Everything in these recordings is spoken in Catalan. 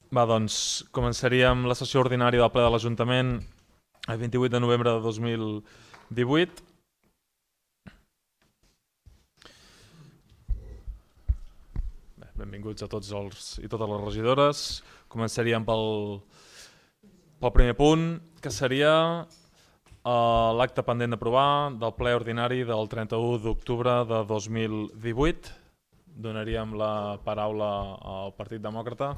Va, doncs començaríem la sessió ordinària del ple de l'Ajuntament el 28 de novembre de 2018. Bé, benvinguts a tots els i totes les regidores. Començaríem pel primer punt, que seria l'acte pendent d'aprovar del ple ordinari del 31 d'octubre de 2018. Donaríem la paraula al Partit Demòcrata.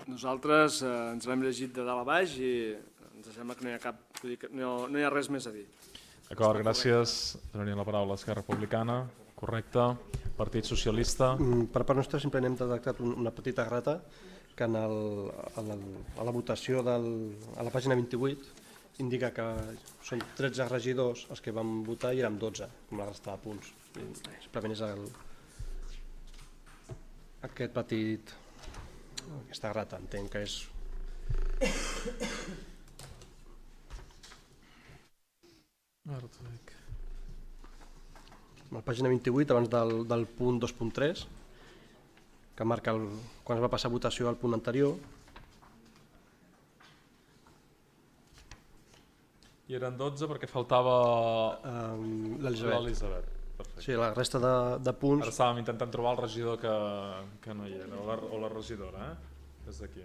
Nosaltres ens l'hem llegit de dalt a baix i ens sembla que no hi ha res més a dir. D'acord, gràcies. Donaríem la paraula a Esquerra Republicana. Correcte. Partit Socialista. Per part nostra simplement hem detectat una petita errata que a la votació a la pàgina 28 indica que són 13 regidors els que van votar i érem 12, com la resta de punts. Simplement és aquesta errata, entenc que és... A la pàgina 28, abans del punt 2.3, que marca quan es va passar a votació al punt anterior. I eren 12 perquè faltava l'Elisabet. Perfecte. Sí, la resta de punts... Ara estàvem intentant trobar el regidor que no hi era, o la regidora, des d'aquí.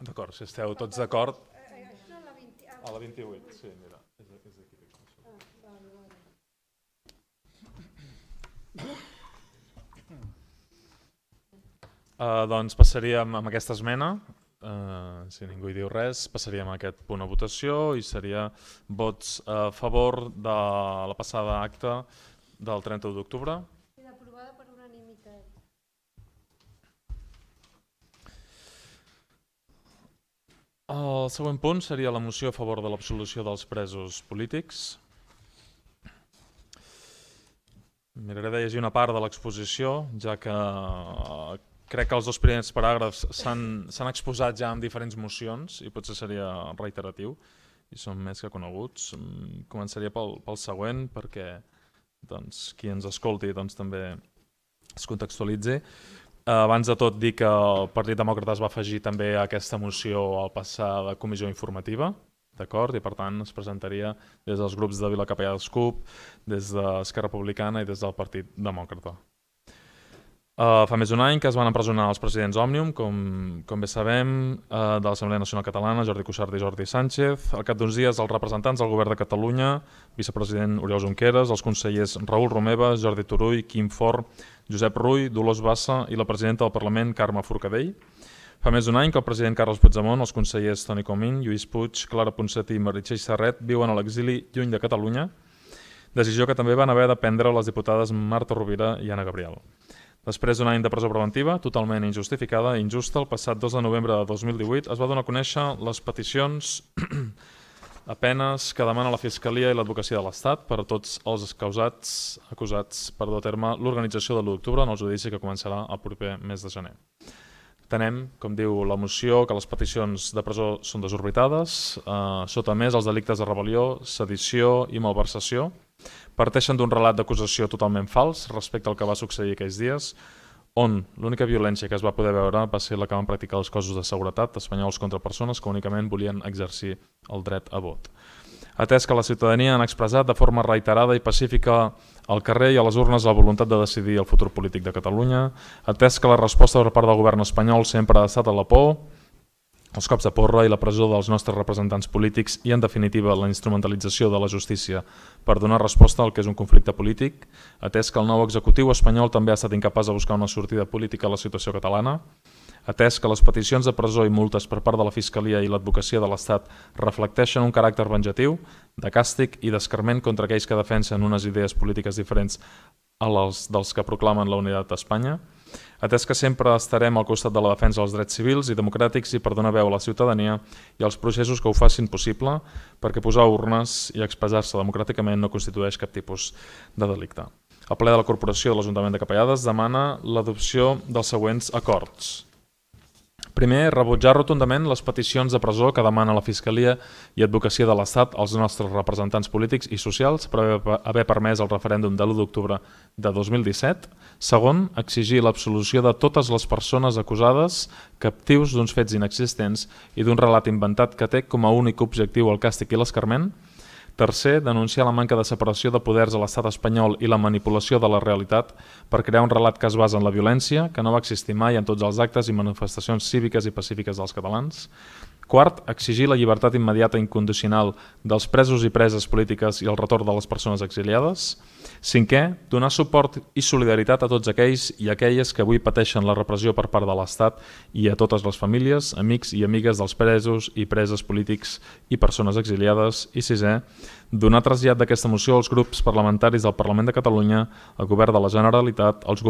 D'acord, si esteu tots d'acord... A la 28, sí, mira, és aquí. Doncs passaríem amb aquesta esmena. Si ningú hi diu res, passaríem a aquest punt a votació i seria vots a favor de la passada acta del 31 d'octubre. I aprovada per unanimitat. El següent punt seria la moció a favor de l'absolució dels presos polítics. Miraré de llegir una part de l'exposició, ja que crec que els dos primers paràgrafs s'han exposat ja en diferents mocions i potser seria reiteratiu i són més que coneguts. Començaria pel següent perquè qui ens escolti també es contextualitzi. Abans de tot dir que el Partit Demòcrata es va afegir també a aquesta moció al passar de comissió informativa, d'acord? I per tant es presentaria des dels grups de Vilacapellà dels CUP, des d'Esquerra Republicana i des del Partit Demòcrata. Fa més d'un any que es van empresonar els presidents Òmnium, com bé sabem, de l'Assemblea Nacional Catalana, Jordi Cuixart i Jordi Sánchez. Al cap d'uns dies, els representants del Govern de Catalunya, vicepresident Oriol Junqueras, els consellers Raül Romeva, Jordi Turull, Quim Forn, Josep Rull, Dolors Bassa i la presidenta del Parlament, Carme Forcadell. Fa més d'un any que el president Carles Puigdemont, els consellers Toni Comín, Lluís Puig, Clara Ponsatí i Meritxell Serret viuen a l'exili lluny de Catalunya, decisió que també van haver de prendre les diputades Marta Rovira i Anna Gabriel. Després d'un any de presó preventiva, totalment injustificada i injusta, el passat 2 de novembre de 2018 es va donar a conèixer les peticions a penes que demana la Fiscalia i l'Advocacia de l'Estat per a tots els acusats per dur a terme l'organització de l'1 d'octubre en el judici que començarà el proper mes de gener. Entenem, com diu la moció, que les peticions de presó són desorbitades, sota més els delictes de rebel·lió, sedició i malversació, parteixen d'un relat d'acusació totalment fals respecte al que va succeir aquells dies, on l'única violència que es va poder veure va ser la que van practicar els cossos de seguretat espanyols contra persones que únicament volien exercir el dret a vot. Atès que la ciutadania han expressat de forma reiterada i pacífica al carrer i a les urnes la voluntat de decidir el futur polític de Catalunya, atès que la resposta per part del govern espanyol sempre ha estat a la por, els cops de porra i la presó dels nostres representants polítics i, en definitiva, la instrumentalització de la justícia per donar resposta al que és un conflicte polític, atès que el nou executiu espanyol també ha estat incapaç de buscar una sortida política a la situació catalana, atès que les peticions de presó i multes per part de la Fiscalia i l'advocacia de l'Estat reflecteixen un caràcter venjatiu, de càstig i d'escarment contra aquells que defensen unes idees polítiques diferents a les dels que proclamen la unitat d'Espanya, atès que sempre estarem al costat de la defensa dels drets civils i democràtics i per donar veu a la ciutadania i als processos que ho facin possible, perquè posar urnes i expressar-se democràticament no constitueix cap tipus de delicte. El ple de la Corporació de l'Ajuntament de Capellades demana l'adopció dels següents acords. Primer, rebutjar rotundament les peticions de presó que demana la Fiscalia i Advocacia de l'Estat als nostres representants polítics i socials per haver permès el referèndum de l'1 d'octubre de 2017. Segon, exigir l'absolució de totes les persones acusades captius d'uns fets inexistents i d'un relat inventat que té com a únic objectiu el càstig i l'escarment. Tercer, denunciar la manca de separació de poders a l'estat espanyol i la manipulació de la realitat per crear un relat que es basa en la violència, que no va existir mai en tots els actes i manifestacions cíviques i pacífiques dels catalans. Quart, exigir la llibertat immediata i incondicional dels presos i preses polítiques i el retorn de les persones exiliades. Cinquè, donar suport i solidaritat a tots aquells i aquelles que avui pateixen la repressió per part de l'Estat i a totes les famílies, amics i amigues dels presos i preses polítics i persones exiliades. I sisè, donar trasllat d'aquesta moció als grups parlamentaris del Parlament de Catalunya, al Govern de la Generalitat, als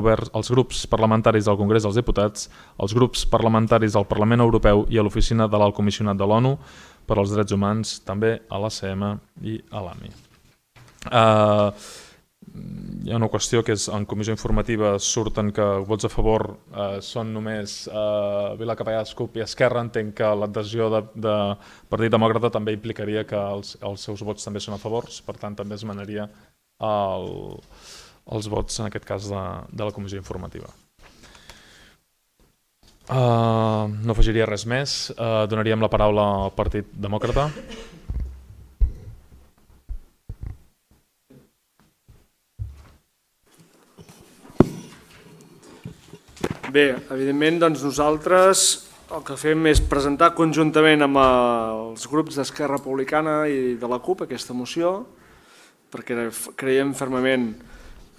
grups parlamentaris del Congrés dels Diputats, als grups parlamentaris del Parlament Europeu i a l'Oficina de l'Alt Comissionat de l'ONU per als Drets Humans, també a l'ACM i a l'AMI. Hi ha una qüestió que és en comissió informativa surten que vots a favor són només Vila Capellades, CUP i Esquerra. Entenc que l'adhesió de Partit Demòcrata també implicaria que els seus vots també són a favors, per tant també esmenaria els vots en aquest cas de la comissió informativa. No afegiria res més, donaríem la paraula al Partit Demòcrata. Bé, evidentment nosaltres el que fem és presentar conjuntament amb els grups d'Esquerra Republicana i de la CUP aquesta moció, perquè creiem fermament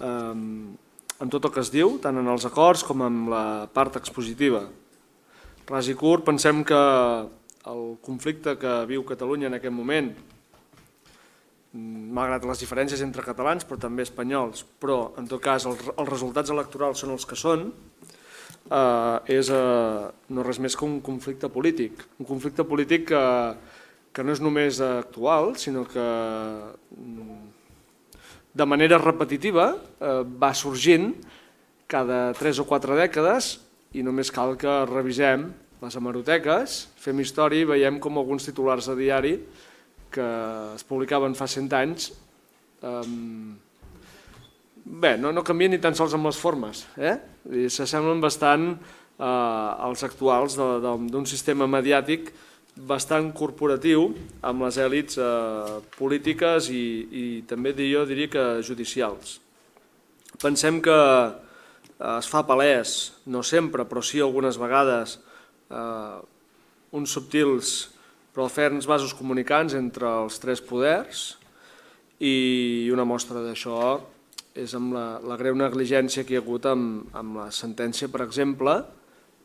en tot el que es diu, tant en els acords com en la part expositiva. Ras i curt, pensem que el conflicte que viu Catalunya en aquest moment, malgrat les diferències entre catalans però també espanyols, però en tot cas els resultats electorals són els que són, és no res més que un conflicte polític. Un conflicte polític que no és només actual, sinó que de manera repetitiva va sorgint cada 3 o 4 dècades i només cal que revisem les hemeroteques, fem història i veiem com alguns titulars de diari que es publicaven fa 100 anys bé, no canvien ni tan sols amb les formes, s'assemblen bastant als actuals d'un sistema mediàtic bastant corporatiu amb les èlits polítiques i també jo diria que judicials. Pensem que es fa palès, no sempre, però sí algunes vegades, uns subtils però ferms vasos comunicants entre els 3 poders i una mostra d'això és amb la greu negligència que hi ha hagut amb la sentència, per exemple,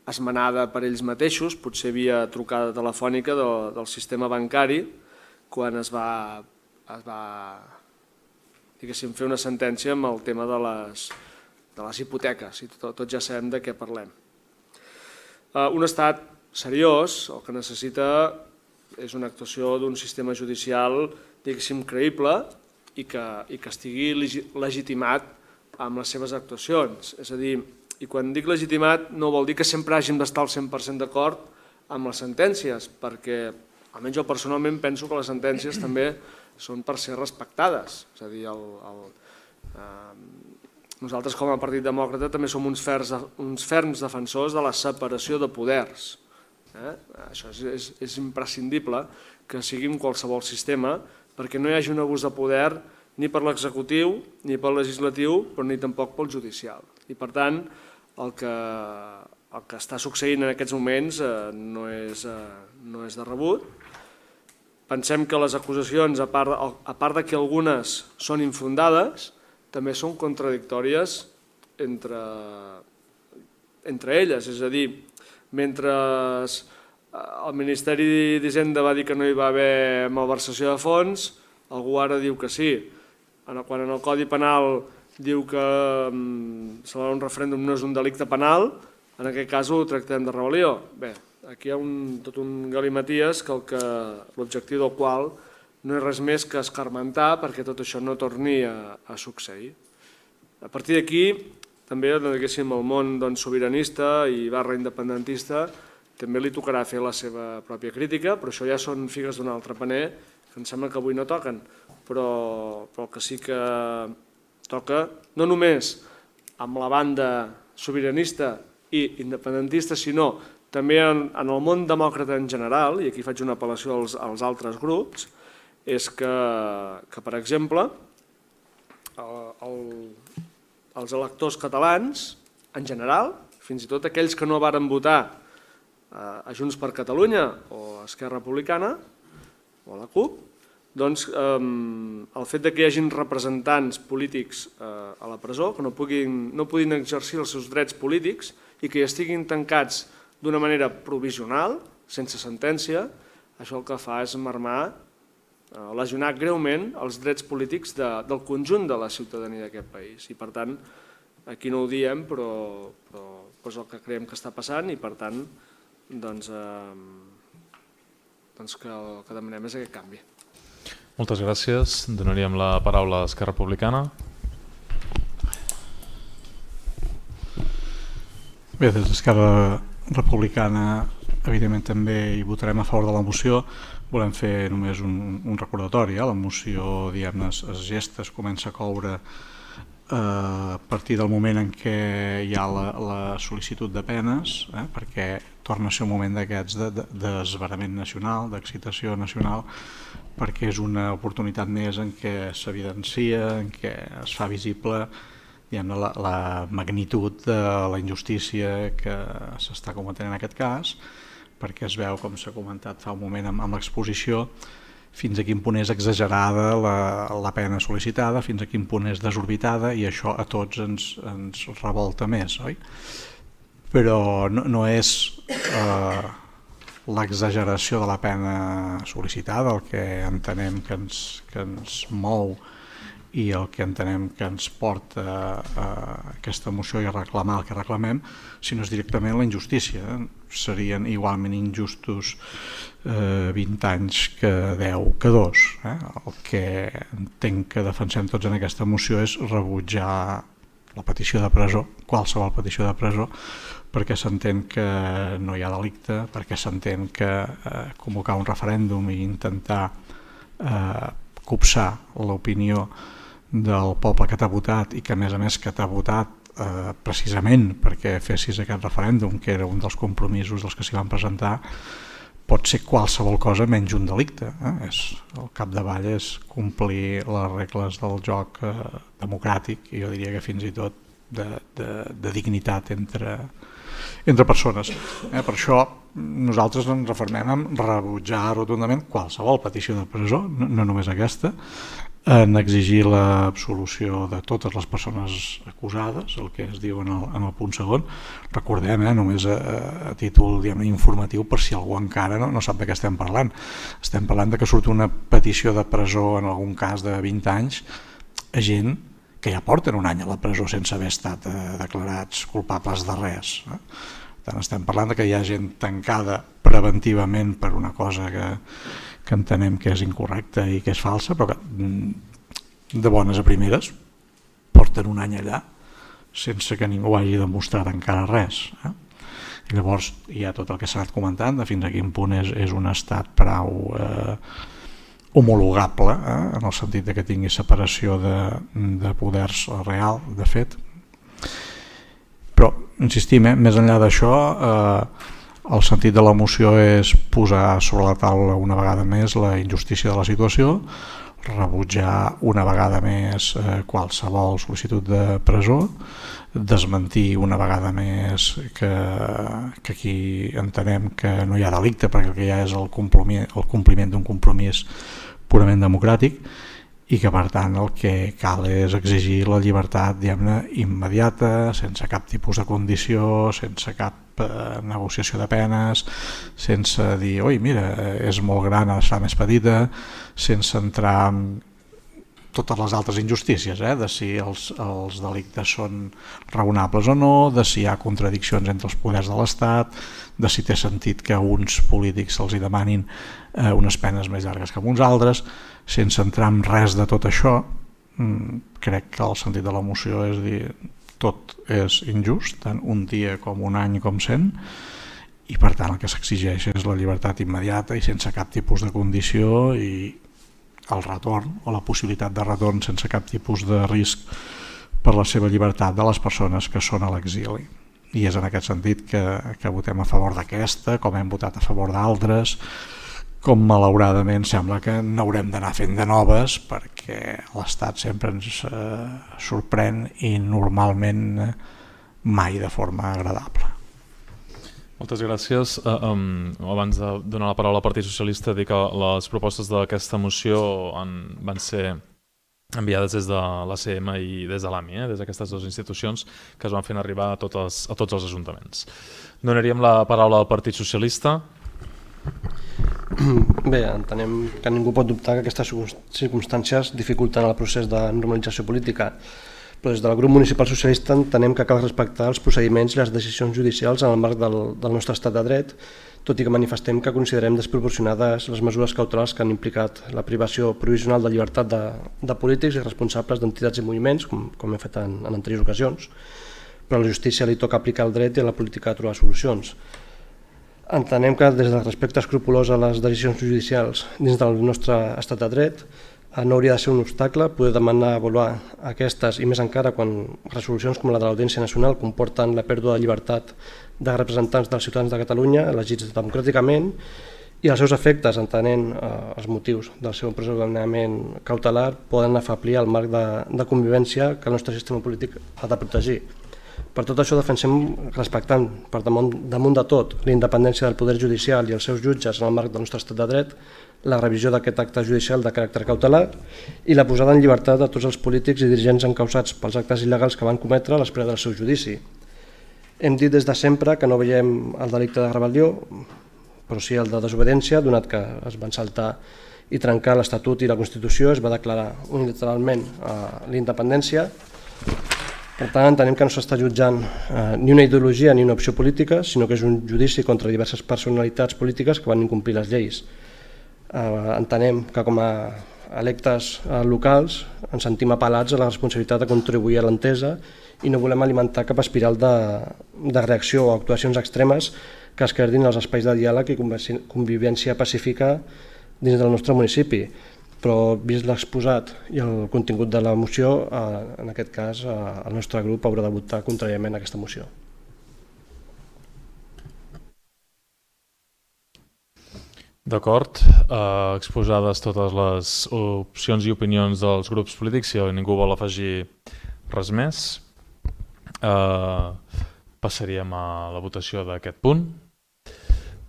esmenada per ells mateixos, potser via trucada telefònica del sistema bancari, quan es va fer una sentència amb el tema de les hipoteques, i tots ja sabem de què parlem. Un estat seriós el que necessita és una actuació d'un sistema judicial, diguéssim, creïble, i que estigui legitimat amb les seves actuacions. És a dir, i quan dic legitimat no vol dir que sempre hàgim d'estar al 100% d'acord amb les sentències, perquè almenys jo personalment penso que les sentències també són per ser respectades. És a dir, nosaltres com a Partit Demòcrata també som uns ferms defensors de la separació de poders. Això és imprescindible que sigui en qualsevol sistema perquè no hi hagi un abús de poder ni per l'executiu, ni pel legislatiu, però ni tampoc pel judicial. I per tant, el que està succeint en aquests moments no és de rebut. Pensem que les acusacions, a part de que algunes són infundades, també són contradictòries entre elles. És a dir, mentre el Ministeri d'Hisenda va dir que no hi va haver malversació de fons, algú ara diu que sí. Quan en el Codi Penal diu que celebrar un referèndum no és un delicte penal, en aquest cas ho tractem de rebel·lió. Bé, aquí hi ha tot un galimaties l'objectiu del qual no és res més que escarmentar perquè tot això no torni a succeir. A partir d'aquí, també el món sobiranista i /independentista també li tocarà fer la seva pròpia crítica, però això ja són figues d'un altre paner que em sembla que avui no toquen, però que sí que toca no només amb la banda sobiranista i independentista, sinó també en el món demòcrata en general, i aquí faig una apel·lació als altres grups, és que per exemple, els electors catalans, en general, fins i tot aquells que no varen votar a Junts per Catalunya o a Esquerra Republicana o a la CUP, doncs el fet que hi hagin representants polítics a la presó, que no puguin exercir els seus drets polítics i que hi estiguin tancats d'una manera provisional, sense sentència, això el que fa és marmar, lesionar greument els drets polítics del conjunt de la ciutadania d'aquest país. I per tant, aquí no ho diem, però és el que creiem que està passant i per tant que el que demanem és aquest canvi. Moltes gràcies. Donaríem la paraula a Esquerra Republicana. Bé, des d'Esquerra Republicana evidentment també hi votarem a favor de la moció. Volem fer només un recordatori. La moció, diguem-ne, es gesta, es comença a coure a partir del moment en què hi ha la sol·licitud de penes, perquè torna a ser un moment d'aquests d'esverament nacional, d'excitació nacional, perquè és una oportunitat més en què s'evidencia, en què es fa visible la magnitud de la injustícia que s'està cometent en aquest cas, perquè es veu, com s'ha comentat fa un moment amb l'exposició, fins a quin punt és exagerada la pena sol·licitada, fins a quin punt és desorbitada, i això a tots ens revolta més, oi? Però no és l'exageració de la pena sol·licitada el que entenem que ens mou i el que entenem que ens porta a aquesta moció i a reclamar el que reclamem, sinó és directament la injustícia. Serien igualment injustos 20 anys que 10 que 2. El que entenc que defensem tots en aquesta moció és rebutjar la petició de presó, qualsevol petició de presó, perquè s'entén que no hi ha delicte, perquè s'entén que convocar un referèndum i intentar copsar l'opinió del poble que t'ha votat i que a més que t'ha votat precisament perquè fessis aquest referèndum, que era un dels compromisos dels que s'hi van presentar, pot ser qualsevol cosa menys un delicte. Al capdavall és complir les regles del joc democràtic i jo diria que fins i tot de dignitat entre persones. Per això nosaltres ens refermem en rebutjar rotundament qualsevol petició de presó, no només aquesta, en exigir l'absolució de totes les persones acusades, el que es diu en el punt segon. Recordem, només a títol informatiu, per si algú encara no sap de què estem parlant. Estem parlant de que surt una petició de presó en algun cas de 20 anys a gent que ja porten un any a la presó sense haver estat declarats culpables de res. Per tant, estem parlant que hi ha gent tancada preventivament per una cosa que entenem que és incorrecta i que és falsa, però que de bones a primeres porten un any allà sense que ningú hagi demostrat encara res. I llavors hi ha tot el que s'ha anat comentant de fins a quin punt és un estat prou homologable, en el sentit que tingui separació de poders real, de fet, Però, insistim, més enllà d'això, el sentit de la moció és posar sobre la taula una vegada més la injustícia de la situació, rebutjar una vegada més qualsevol sol·licitud de presó, desmentir una vegada més que aquí entenem que no hi ha delicte perquè el que hi ha és el compliment d'un compromís purament democràtic i que per tant el que cal és exigir la llibertat, diguem-ne, immediata, sense cap tipus de condició, sense cap negociació de penes, sense dir, oi, mira, és molt gran, ha d'estar més petita, sense entrar en totes les altres injustícies, de si els delictes són raonables o no, de si hi ha contradiccions entre els poders de l'Estat, de si té sentit que a uns polítics se'ls demanin unes penes més llargues que a uns altres. Sense entrar en res de tot això, crec que el sentit de la moció és dir tot és injust, tant un dia com un any com 100, i per tant el que s'exigeix és la llibertat immediata i sense cap tipus de condició i el retorn o la possibilitat de retorn sense cap tipus de risc per la seva llibertat de les persones que són a l'exili. I és en aquest sentit que votem a favor d'aquesta, com hem votat a favor d'altres, com malauradament sembla que n'haurem d'anar fent de noves perquè l'Estat sempre ens sorprèn i normalment mai de forma agradable. Moltes gràcies. Abans de donar la paraula al Partit Socialista, dir que les propostes d'aquesta moció van ser enviades des de l'ACM i des de l'AMI, des d'aquestes dues institucions que es van fent arribar a tots els ajuntaments. Donaríem la paraula al Partit Socialista. Bé, entenem que ningú pot dubtar que aquestes circumstàncies dificulten el procés de normalització política, però des del grup municipal socialista entenem que cal respectar els procediments i les decisions judicials en el marc del nostre estat de dret, tot i que manifestem que considerem desproporcionades les mesures cautelars que han implicat la privació provisional de llibertat de polítics i responsables d'entitats i moviments, com hem fet en anteriors ocasions, però a la justícia li toca aplicar el dret i a la política trobar solucions. Entenem que des del respecte escrupolós a les decisions judicials dins del nostre estat de dret no hauria de ser un obstacle poder demanar avaluar aquestes i més encara quan resolucions com la de l'Audiència Nacional comporten la pèrdua de llibertat de representants dels ciutadans de Catalunya elegits democràticament i els seus efectes, entenent els motius del seu empresonament cautelar, poden afeblir el marc de convivència que el nostre sistema polític ha de protegir. Per tot això defensem, respectant per damunt de tot la independència del poder judicial i els seus jutges en el marc del nostre estat de dret, la revisió d'aquest acte judicial de caràcter cautelar i la posada en llibertat de tots els polítics i dirigents encausats pels actes il·legals que van cometre a l'espera del seu judici. Hem dit des de sempre que no veiem el delicte de rebel·lió, però sí el de desobediència, donat que es van saltar i trencar l'Estatut i la Constitució, es va declarar unilateralment la independència. Per tant, entenem que no s'està jutjant ni una ideologia ni una opció política, sinó que és un judici contra diverses personalitats polítiques que van incomplir les lleis. Entenem que com a electes locals ens sentim apel·lats a la responsabilitat de contribuir a l'entesa i no volem alimentar cap espiral de reacció o actuacions extremes que esquerdin els espais de diàleg i convivència pacífica dins del nostre municipi. Però vist l'exposat i el contingut de la moció, en aquest cas el nostre grup haurà de votar contràriament a aquesta moció. D'acord, exposades totes les opcions i opinions dels grups polítics, si ningú vol afegir res més, passaríem a la votació d'aquest punt.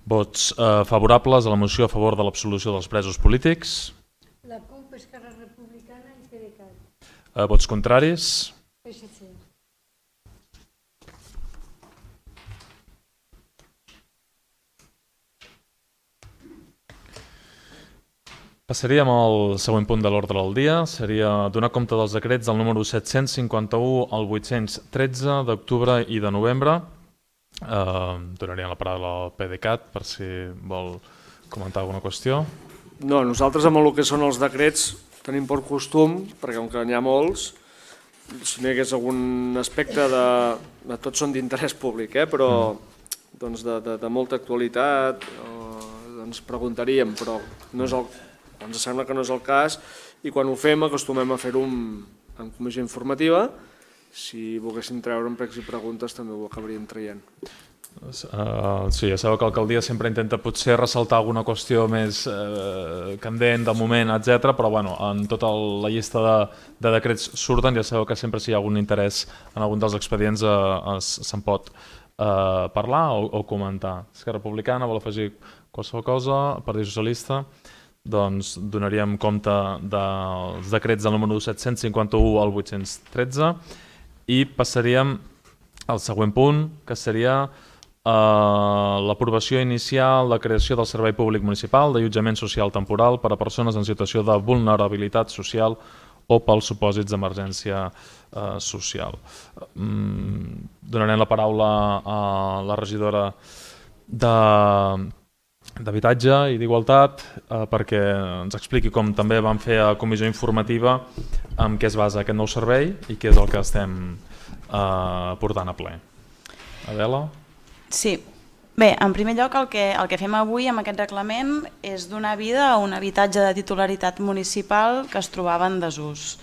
Vots favorables a la moció a favor de l'absolució dels presos polítics. La CUP, Esquerra Republicana i PDeCAT. Vots contraris. PSC. Passaríem al següent punt de l'ordre del dia. Seria donar compte dels decrets del número 751 al 813 d'octubre i de novembre. Donaríem la paraula al PDeCAT per si vol comentar alguna qüestió. No, nosaltres amb el que són els decrets tenim per costum, perquè com que n'hi ha molts, si no hi hagués algun aspecte de tots són d'interès públic, però de molta actualitat, ens preguntaríem, però ens sembla que no és el cas, i quan ho fem acostumem a fer-ho en comissió informativa si volguéssim treure pregs i preguntes també ho acabaríem traient. Sí, ja sabeu que l'alcaldia sempre intenta potser ressaltar alguna qüestió més candent de moment, etc. Però bueno, en tota la llista de decrets surten, ja sabeu que sempre si hi ha algun interès en algun dels expedients se'n pot parlar o comentar. Esquerra Republicana vol afegir qualsevol cosa, Partit Socialista, doncs donaríem compte dels decrets del número 751 al 813 i passaríem al següent punt, que seria l'aprovació inicial de creació del Servei Públic Municipal d'allotjament social temporal per a persones en situació de vulnerabilitat social o pels supòsits d'emergència social. Donarem la paraula a la regidora d'Habitatge i d'Igualtat perquè ens expliqui com també vam fer a comissió informativa en què es basa aquest nou servei i què és el que estem portant a ple. Adela? Sí. Bé, en primer lloc el que fem avui amb aquest reglament és donar vida a un habitatge de titularitat municipal que es trobava en desús.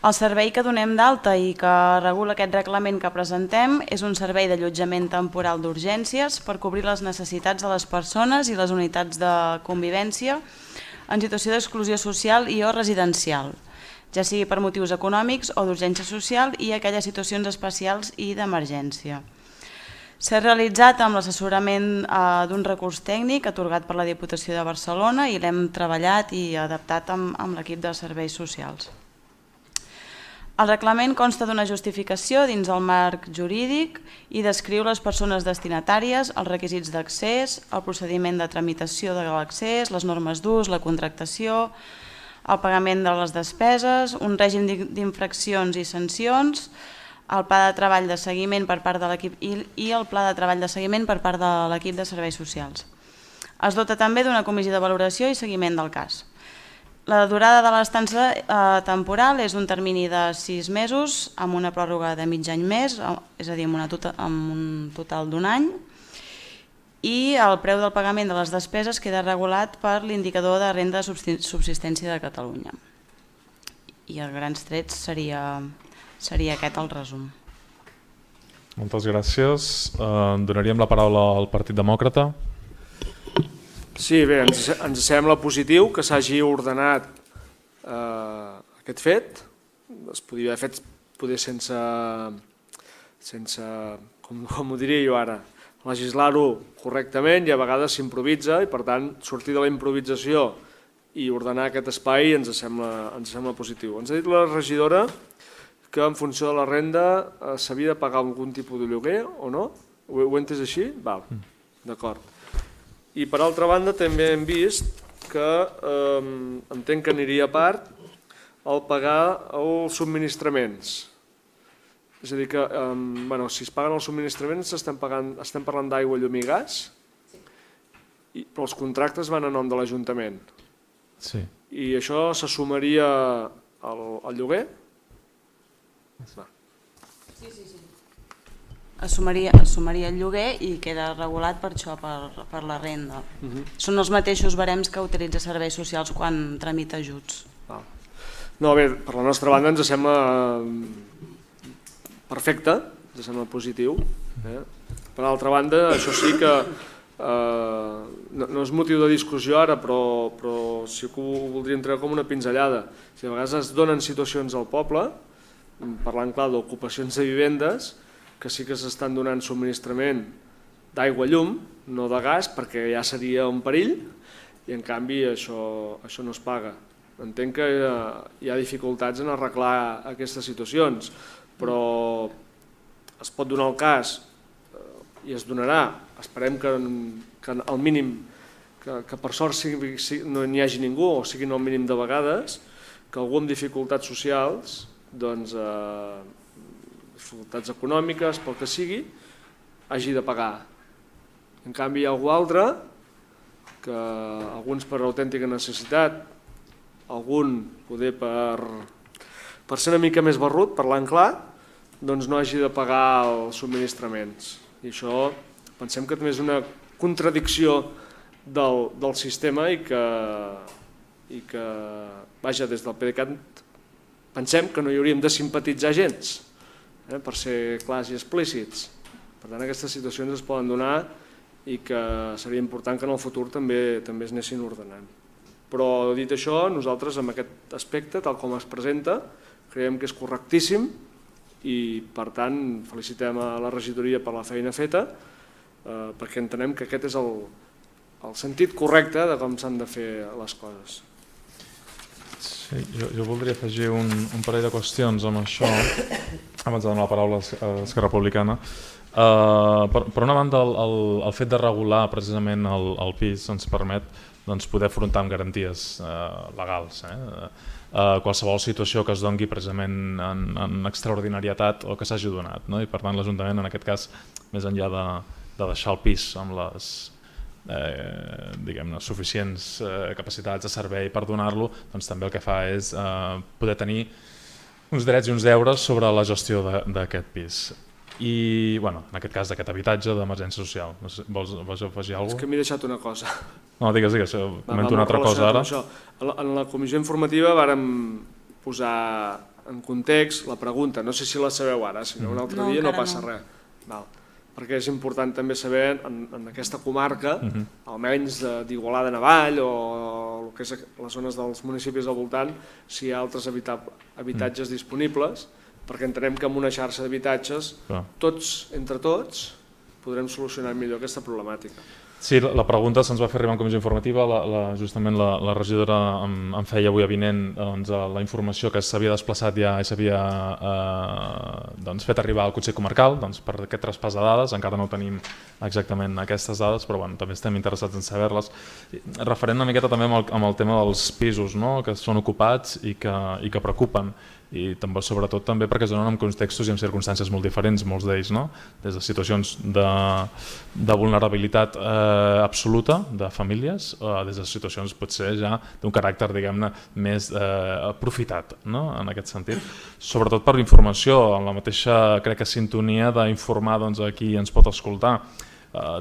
El servei que donem d'alta i que regula aquest reglament que presentem és un servei d'allotjament temporal d'urgències per cobrir les necessitats de les persones i les unitats de convivència en situació d'exclusió social i o residencial, ja sigui per motius econòmics o d'urgència social i aquelles situacions especials i d'emergència. S'ha realitzat amb l'assessorament d'un recurs tècnic atorgat per la Diputació de Barcelona i l'hem treballat i adaptat amb l'equip de serveis socials. El reglament consta d'una justificació dins el marc jurídic i descriu les persones destinatàries, els requisits d'accés, el procediment de tramitació de l'accés, les normes d'ús, la contractació, el pagament de les despeses, un règim d'infraccions i sancions, el pla de treball de seguiment per part de l'equip i el pla de treball de seguiment per part de l'equip de serveis socials. Es dota també d'una comissió de valoració i seguiment del cas. La durada de l'estança temporal és un termini de 6 mesos amb una pròrroga de mig any més, és a dir, amb un total d'un any, i el preu del pagament de les despeses queda regulat per l'indicador de renda de subsistència de Catalunya. I a grans trets seria aquest el resum. Moltes gràcies. Donaríem la paraula al Partit Demòcrata. Sí, bé, ens sembla positiu que s'hagi ordenat aquest fet. Es podria haver fet poder sense, com ho diria jo ara, legislar-ho correctament i a vegades s'improvisa i per tant sortir de la improvisació i ordenar aquest espai ens sembla positiu. Ens ha dit la regidora que en funció de la renda s'havia de pagar algun tipus de lloguer o no? Ho he entès així? Val, d'acord. I per altra banda també hem vist que entenc que aniria a part el pagar els subministraments. És a dir que si es paguen els subministraments estem parlant d'aigua, llum i gas, però els contractes van a nom de l'Ajuntament. Sí. I això s'assumaria al lloguer? Sí. Assumiria el lloguer i queda regulat per això, per la renda. Són els mateixos barems que utilitza serveis socials quan tramita ajuts. No, bé, per la nostra banda ens sembla perfecte, ens sembla positiu. Per altra banda, això sí que no és motiu de discussió ara, però sí que ho voldríem treure com una pinzellada. A vegades es donen situacions al poble, parlant clar d'ocupacions de vivendes, que sí que s'estan donant subministrament d'aigua, llum, no de gas, perquè ja seria un perill, i en canvi això no es paga. Entenc que hi ha dificultats en arreglar aquestes situacions, però es pot donar el cas i es donarà. Esperem que al mínim, que per sort no n'hi hagi ningú, o siguin al mínim de vegades, que algú amb dificultats socials, dificultats econòmiques, pel que sigui, hagi de pagar. En canvi hi ha algú altre, que alguns per autèntica necessitat, algun poder per ser una mica més barrut, parlant clar, doncs no hagi de pagar els subministraments. I això pensem que també és una contradicció del sistema i que vaja, des del PDeCAT pensem que no hi hauríem de simpatitzar gens per ser clars i explícits. Per tant, aquestes situacions es poden donar i que seria important que en el futur també es anessin ordenant. Però dit això, nosaltres amb aquest aspecte, tal com es presenta, creiem que és correctíssim i per tant felicitem a la regidoria per la feina feta perquè entenem que aquest és el sentit correcte de com s'han de fer les coses. Sí, jo voldria afegir un parell de qüestions amb això, abans de donar la paraula a l'Esquerra Republicana. Per una banda, el fet de regular precisament el pis ens permet poder afrontar amb garanties legals qualsevol situació que es doni precisament en extraordinarietat o que s'hagi donat. I per tant l'Ajuntament, en aquest cas, més enllà de deixar el pis amb les suficients capacitats de servei per donar-lo, també el que fa és poder tenir uns drets i uns deures sobre la gestió d'aquest pis. I, en aquest cas, d'aquest habitatge d'emergència social. Vols afegir alguna cosa? És que m'he deixat una cosa. No, digues, comento una altra cosa ara. En la comissió informativa vàrem posar en context la pregunta, no sé si la sabeu ara, si no un altre dia no passa res. Perquè és important també saber en aquesta comarca, almenys d'Igualada-Navall o el que és les zones dels municipis al voltant, si hi ha altres habitatges disponibles, perquè entenem que amb una xarxa d'habitatges, entre tots, podrem solucionar millor aquesta problemàtica. Sí, la pregunta se'ns va fer arribar en comissió informativa, justament la regidora em feia avui avinent la informació que s'havia desplaçat ja i s'havia fet arribar al Consell Comarcal per aquest traspàs de dades, encara no tenim exactament aquestes dades, però també estem interessats en saber-les. Referent una miqueta també amb el tema dels pisos que són ocupats i que preocupen, i sobretot també perquè es donen en contextos i en circumstàncies molt diferents, molts d'ells, des de situacions de vulnerabilitat absoluta de famílies, des de situacions potser ja d'un caràcter, diguem-ne, més aprofitat, en aquest sentit. Sobretot per informació, en la mateixa, crec que sintonia d'informar a qui ens pot escoltar.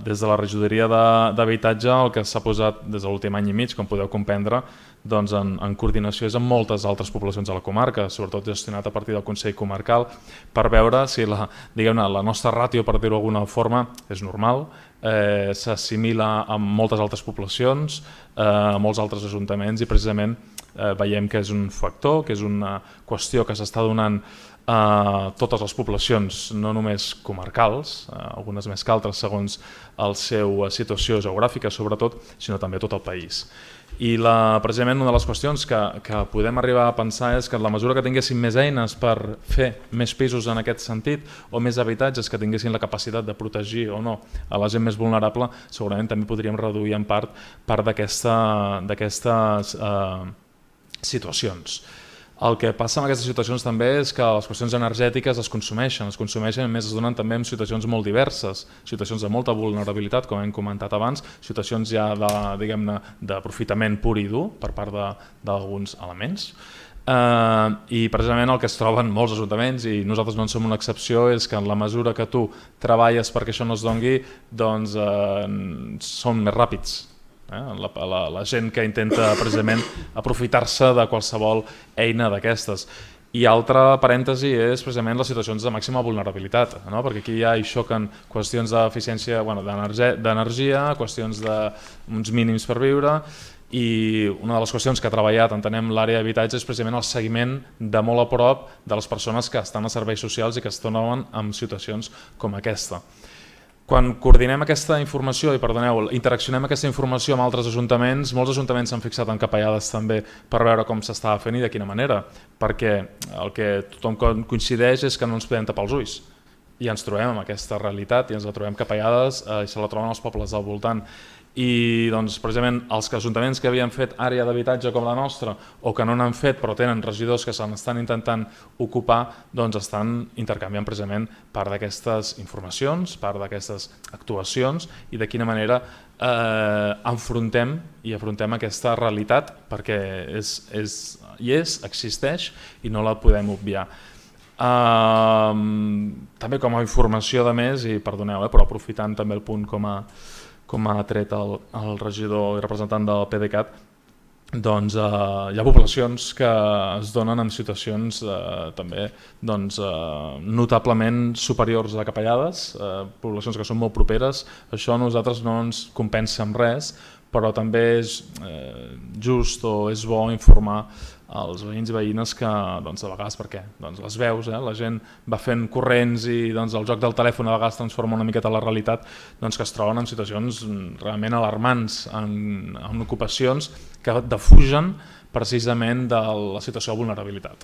Des de la regidoria d'habitatge el que s'ha posat des de l'últim any i mig, com podeu comprendre, en coordinació és amb moltes altres poblacions de la comarca, sobretot gestionat a partir del Consell Comarcal, per veure si la nostra ràtio, per dir-ho d'alguna forma, és normal, s'assimila amb moltes altres poblacions, a molts altres ajuntaments, i precisament veiem que és un factor, que és una qüestió que s'està donant a totes les poblacions, no només comarcals, algunes més que altres segons la seva situació geogràfica sobretot, sinó també tot el país. I precisament una de les qüestions que podem arribar a pensar és que en la mesura que tinguéssim més eines per fer més pisos en aquest sentit o més habitatges que tinguessin la capacitat de protegir o no a la gent més vulnerable, segurament també podríem reduir en part d'aquestes situacions. El que passa en aquestes situacions també és que les qüestions energètiques es consumeixen a més es donen també en situacions molt diverses, situacions de molta vulnerabilitat, com hem comentat abans, situacions ja d'aprofitament pur i dur per part d'alguns elements. I precisament el que es troben molts ajuntaments, i nosaltres no en som una excepció, és que en la mesura que tu treballes perquè això no es doni, doncs són més ràpids. La gent que intenta precisament aprofitar-se de qualsevol eina d'aquestes. I altre parèntesi és precisament les situacions de màxima vulnerabilitat, perquè aquí ja hi xoquen qüestions d'eficiència d'energia, qüestions d'uns mínims per viure, i una de les qüestions que ha treballat, entenem, l'àrea d'habitatge és precisament el seguiment de molt a prop de les persones que estan a serveis socials i que es troben en situacions com aquesta. Quan coordinem aquesta informació, interaccionem aquesta informació amb altres ajuntaments, molts ajuntaments s'han fixat en capellades també per veure com s'estava fent i de quina manera, perquè el que tothom coincideix és que no ens podem tapar els ulls i ens trobem amb aquesta realitat i ens la trobem capellades i se la troben els pobles del voltant. I precisament els ajuntaments que havien fet àrea d'habitatge com la nostra o que no n'han fet però tenen regidors que se n'estan intentant ocupar, estan intercanviant precisament part d'aquestes informacions, part d'aquestes actuacions i de quina manera afrontem aquesta realitat, perquè existeix i no la podem obviar. També com a informació de més, i perdoneu, però aprofitant també el punt com ha tret el regidor i representant del PDeCAT, doncs, hi ha poblacions que es donen en situacions també notablement superiors a capellades, poblacions que són molt properes. Això a nosaltres no ens compensa amb res, però també és just o és bo informar als veïns i veïnes que de vegades, perquè les veus, la gent va fent corrents i el joc del telèfon a vegades transforma una miqueta la realitat, que es troben en situacions realment alarmants, en ocupacions que defugen precisament de la situació de vulnerabilitat.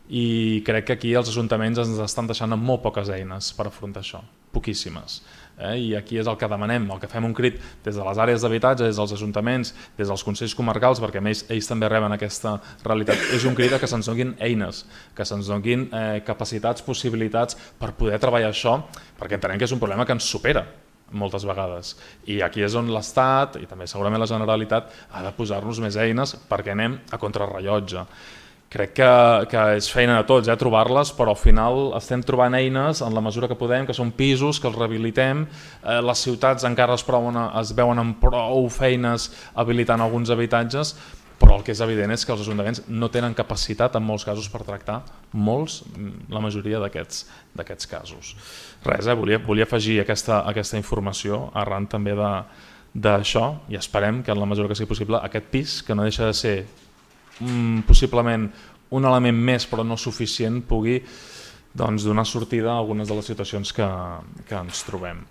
I crec que aquí els ajuntaments ens estan deixant amb molt poques eines per afrontar això, poquíssimes. I aquí és el que demanem, el que fem un crit des de les àrees d'habitatge, des dels ajuntaments, des dels consells comarcals, perquè ells també reben aquesta realitat. És un crit que se'ns donin eines, que se'ns donin capacitats, possibilitats per poder treballar això, perquè entenem que és un problema que ens supera moltes vegades. I aquí és on l'Estat, i també segurament la Generalitat, ha de posar-nos més eines perquè anem a contrarrellotge. Crec que és feina de tots trobar-les, però al final estem trobant eines en la mesura que podem, que són pisos, que els rehabilitem, les ciutats encara es veuen amb prou feines habilitant alguns habitatges, però el que és evident és que els ajuntaments no tenen capacitat en molts casos per tractar la majoria d'aquests casos. Res, volia afegir aquesta informació arran també d'això i esperem que en la mesura que sigui possible aquest pis, que no deixa de ser possiblement un element més però no suficient, pugui donar sortida a algunes de les situacions que ens trobem.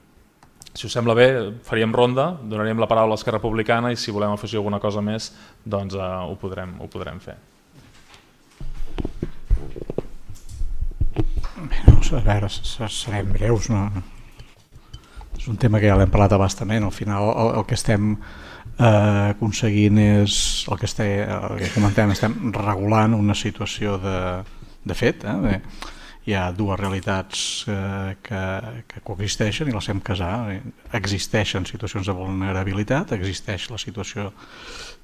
Si us sembla bé, faríem ronda, donaríem la paraula a Esquerra Republicana i si volem afegir alguna cosa més ho podrem fer. A veure, serem breus, no? És un tema que ja l'hem parlat abastament. Al final el que estem aconseguint és el que comentem, estem regulant una situació de fet. Hi ha dues realitats que coexisteixen i les hem casat. Existeixen situacions de vulnerabilitat, existeix la situació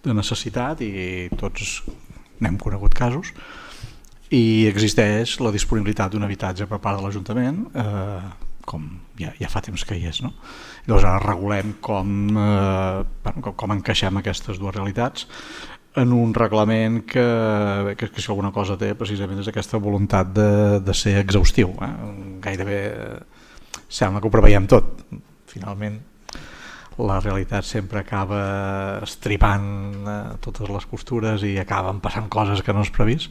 de necessitat i tots n'hem conegut casos, i existeix la disponibilitat d'un habitatge per part de l'Ajuntament, com ja fa temps que hi és, no? Llavors ara regulem com encaixem aquestes dues realitats en un reglament que si alguna cosa té precisament és aquesta voluntat de ser exhaustiu. Gairebé sembla que ho preveiem tot. Finalment la realitat sempre acaba estripant totes les costures i acaben passant coses que no has previst,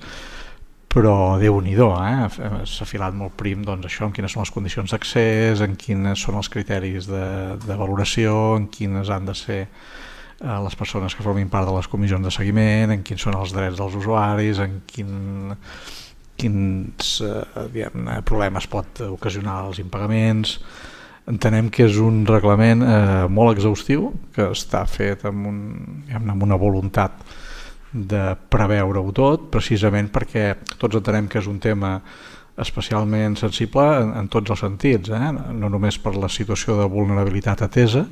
però Déu-n'hi-do, s'ha filat molt prim això, en quines són les condicions d'accés, en quins són els criteris de valoració, en quines han de ser les persones que formin part de les comissions de seguiment, en quins són els drets dels usuaris, en quins problemes pot ocasionar els impagaments. Entenem que és un reglament molt exhaustiu, que està fet amb una voluntat de preveure-ho tot, precisament perquè tots entenem que és un tema especialment sensible en tots els sentits, no només per la situació de vulnerabilitat atesa,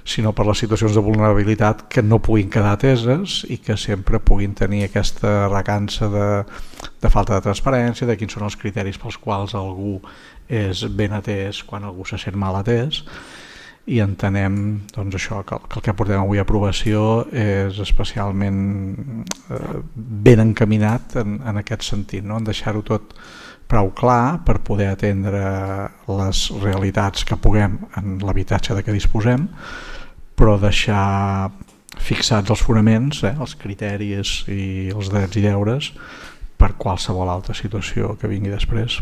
sinó per les situacions de vulnerabilitat que no puguin quedar ateses i que sempre puguin tenir aquesta recança de falta de transparència, de quins són els criteris pels quals algú és ben atès quan algú se sent mal atès. I entenem això, que el que portem avui a aprovació és especialment ben encaminat en aquest sentit, en deixar-ho tot prou clar per poder atendre les realitats que puguem en l'habitatge de què disposem, però deixar fixats els fonaments, els criteris i els drets i deures per qualsevol altra situació que vingui després.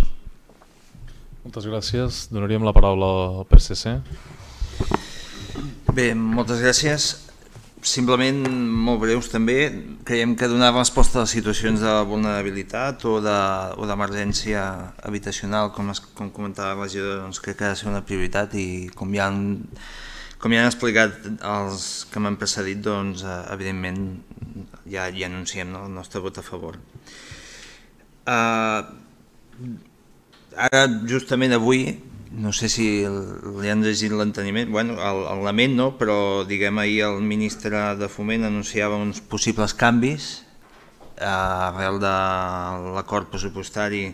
Moltes gràcies. Donaríem la paraula al PSC. Bé, moltes gràcies. Simplement, molt breus també, creiem que donar resposta a les situacions de vulnerabilitat o d'emergència habitacional, com comentava la regidora, crec que ha de ser una prioritat i com ja han explicat els que m'han precedit, evidentment ja anunciem el nostre vot a favor. Ara, justament avui, no sé si li han llegit l'enteniment, el lament no, però diguem ahir el ministre de Foment anunciava uns possibles canvis arrel de l'acord pressupostari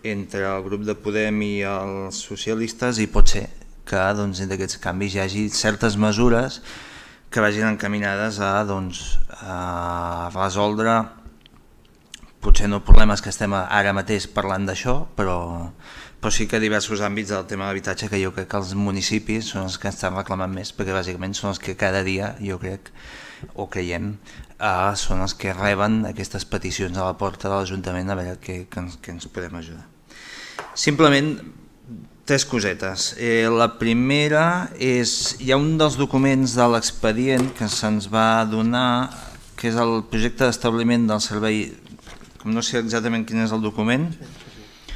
entre el grup de Podem i els socialistes, i pot ser que entre aquests canvis hi hagi certes mesures que vagin encaminades a resoldre potser no problemes que estem ara mateix parlant d'això, però sí que diversos àmbits del tema de l'habitatge que jo crec que els municipis són els que estan reclamant més, perquè bàsicament són els que cada dia, jo crec, o creiem, són els que reben aquestes peticions a la porta de l'Ajuntament a veure què ens podem ajudar. Simplement, 3 cosetes. La primera és, hi ha un dels documents de l'expedient que se'ns va donar, que és el projecte d'establiment del servei, com no sé exactament quin és el document,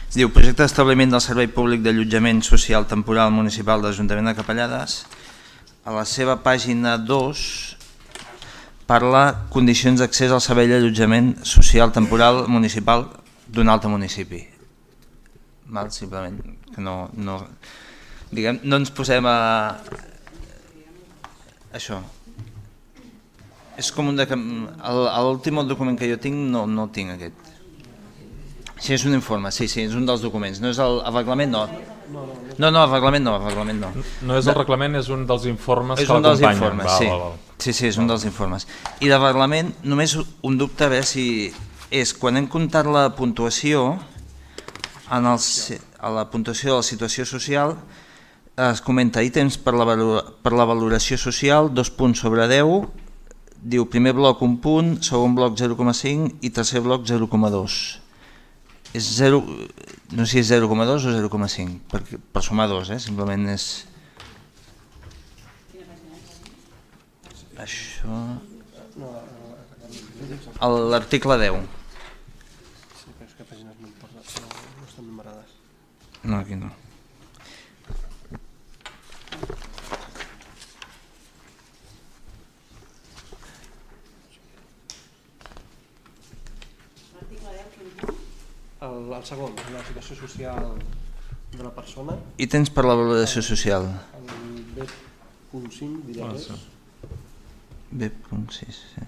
es diu projecte d'establiment del servei públic d'allotjament social temporal municipal de l'Ajuntament de Capellades. A la seva pàgina 2 parla condicions d'accés al servei d'allotjament social temporal municipal d'un altre municipi. Simplement que no ens posem a això. És com l'últim document que jo tinc no tinc aquest. Sí, és un informe, sí, és un dels documents. No és el reglament, no. No, el reglament no. No és el reglament, és un dels informes que l'acompanyen. És un dels informes, sí. Sí, és un dels informes. I de reglament, només un dubte a veure si és, quan hem comptat la puntuació, a la puntuació de la situació social, es comenta ítems per la valoració social, 2 punts sobre 10, diu primer bloc 1 punt, segon bloc 0,5 i tercer bloc 0,2. És 0, no sé si és 0,2 o 0,5, per sumar 2, simplement és... Això... L'article 10. Sí, però és que pàgines no estan numerades. No, aquí no. El segon, la situació social de la persona. Ítems per la valoració social. El B.5, diria que és. B.6, sí.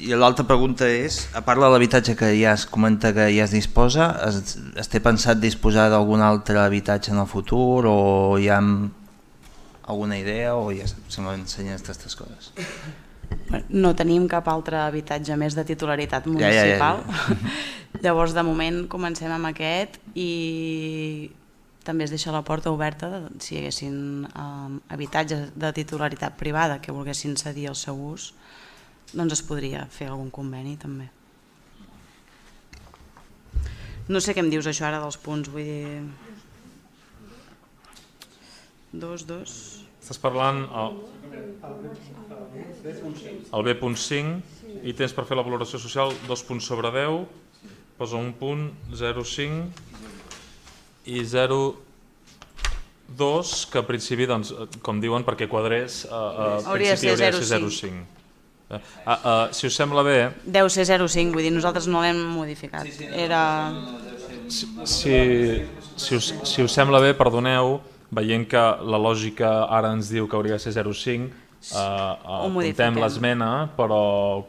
I l'altra pregunta és, a part de l'habitatge que ja es comenta que ja es disposa, es té pensat disposar d'algun altre habitatge en el futur o hi ha alguna idea o ja se m'ensenyen aquestes coses? No tenim cap altre habitatge més de titularitat municipal. Llavors, de moment, comencem amb aquest i també es deixa la porta oberta si hi haguessin habitatges de titularitat privada que volguessin cedir al seu ús, doncs es podria fer algun conveni també. No sé què em dius això ara dels punts, vull dir... 2. Estàs parlant el B.5, ítems per fer la valoració social, 2 punts sobre 10, posa 1 punt, 0,5 i 0,2, que a principi, com diuen, perquè quadrés, hauria de ser 0,5. Si us sembla bé... Deu ser 0,5, vull dir, nosaltres no l'hem modificat. Si us sembla bé, perdoneu, veient que la lògica ara ens diu que hauria de ser 0,5, apuntem l'esmena, però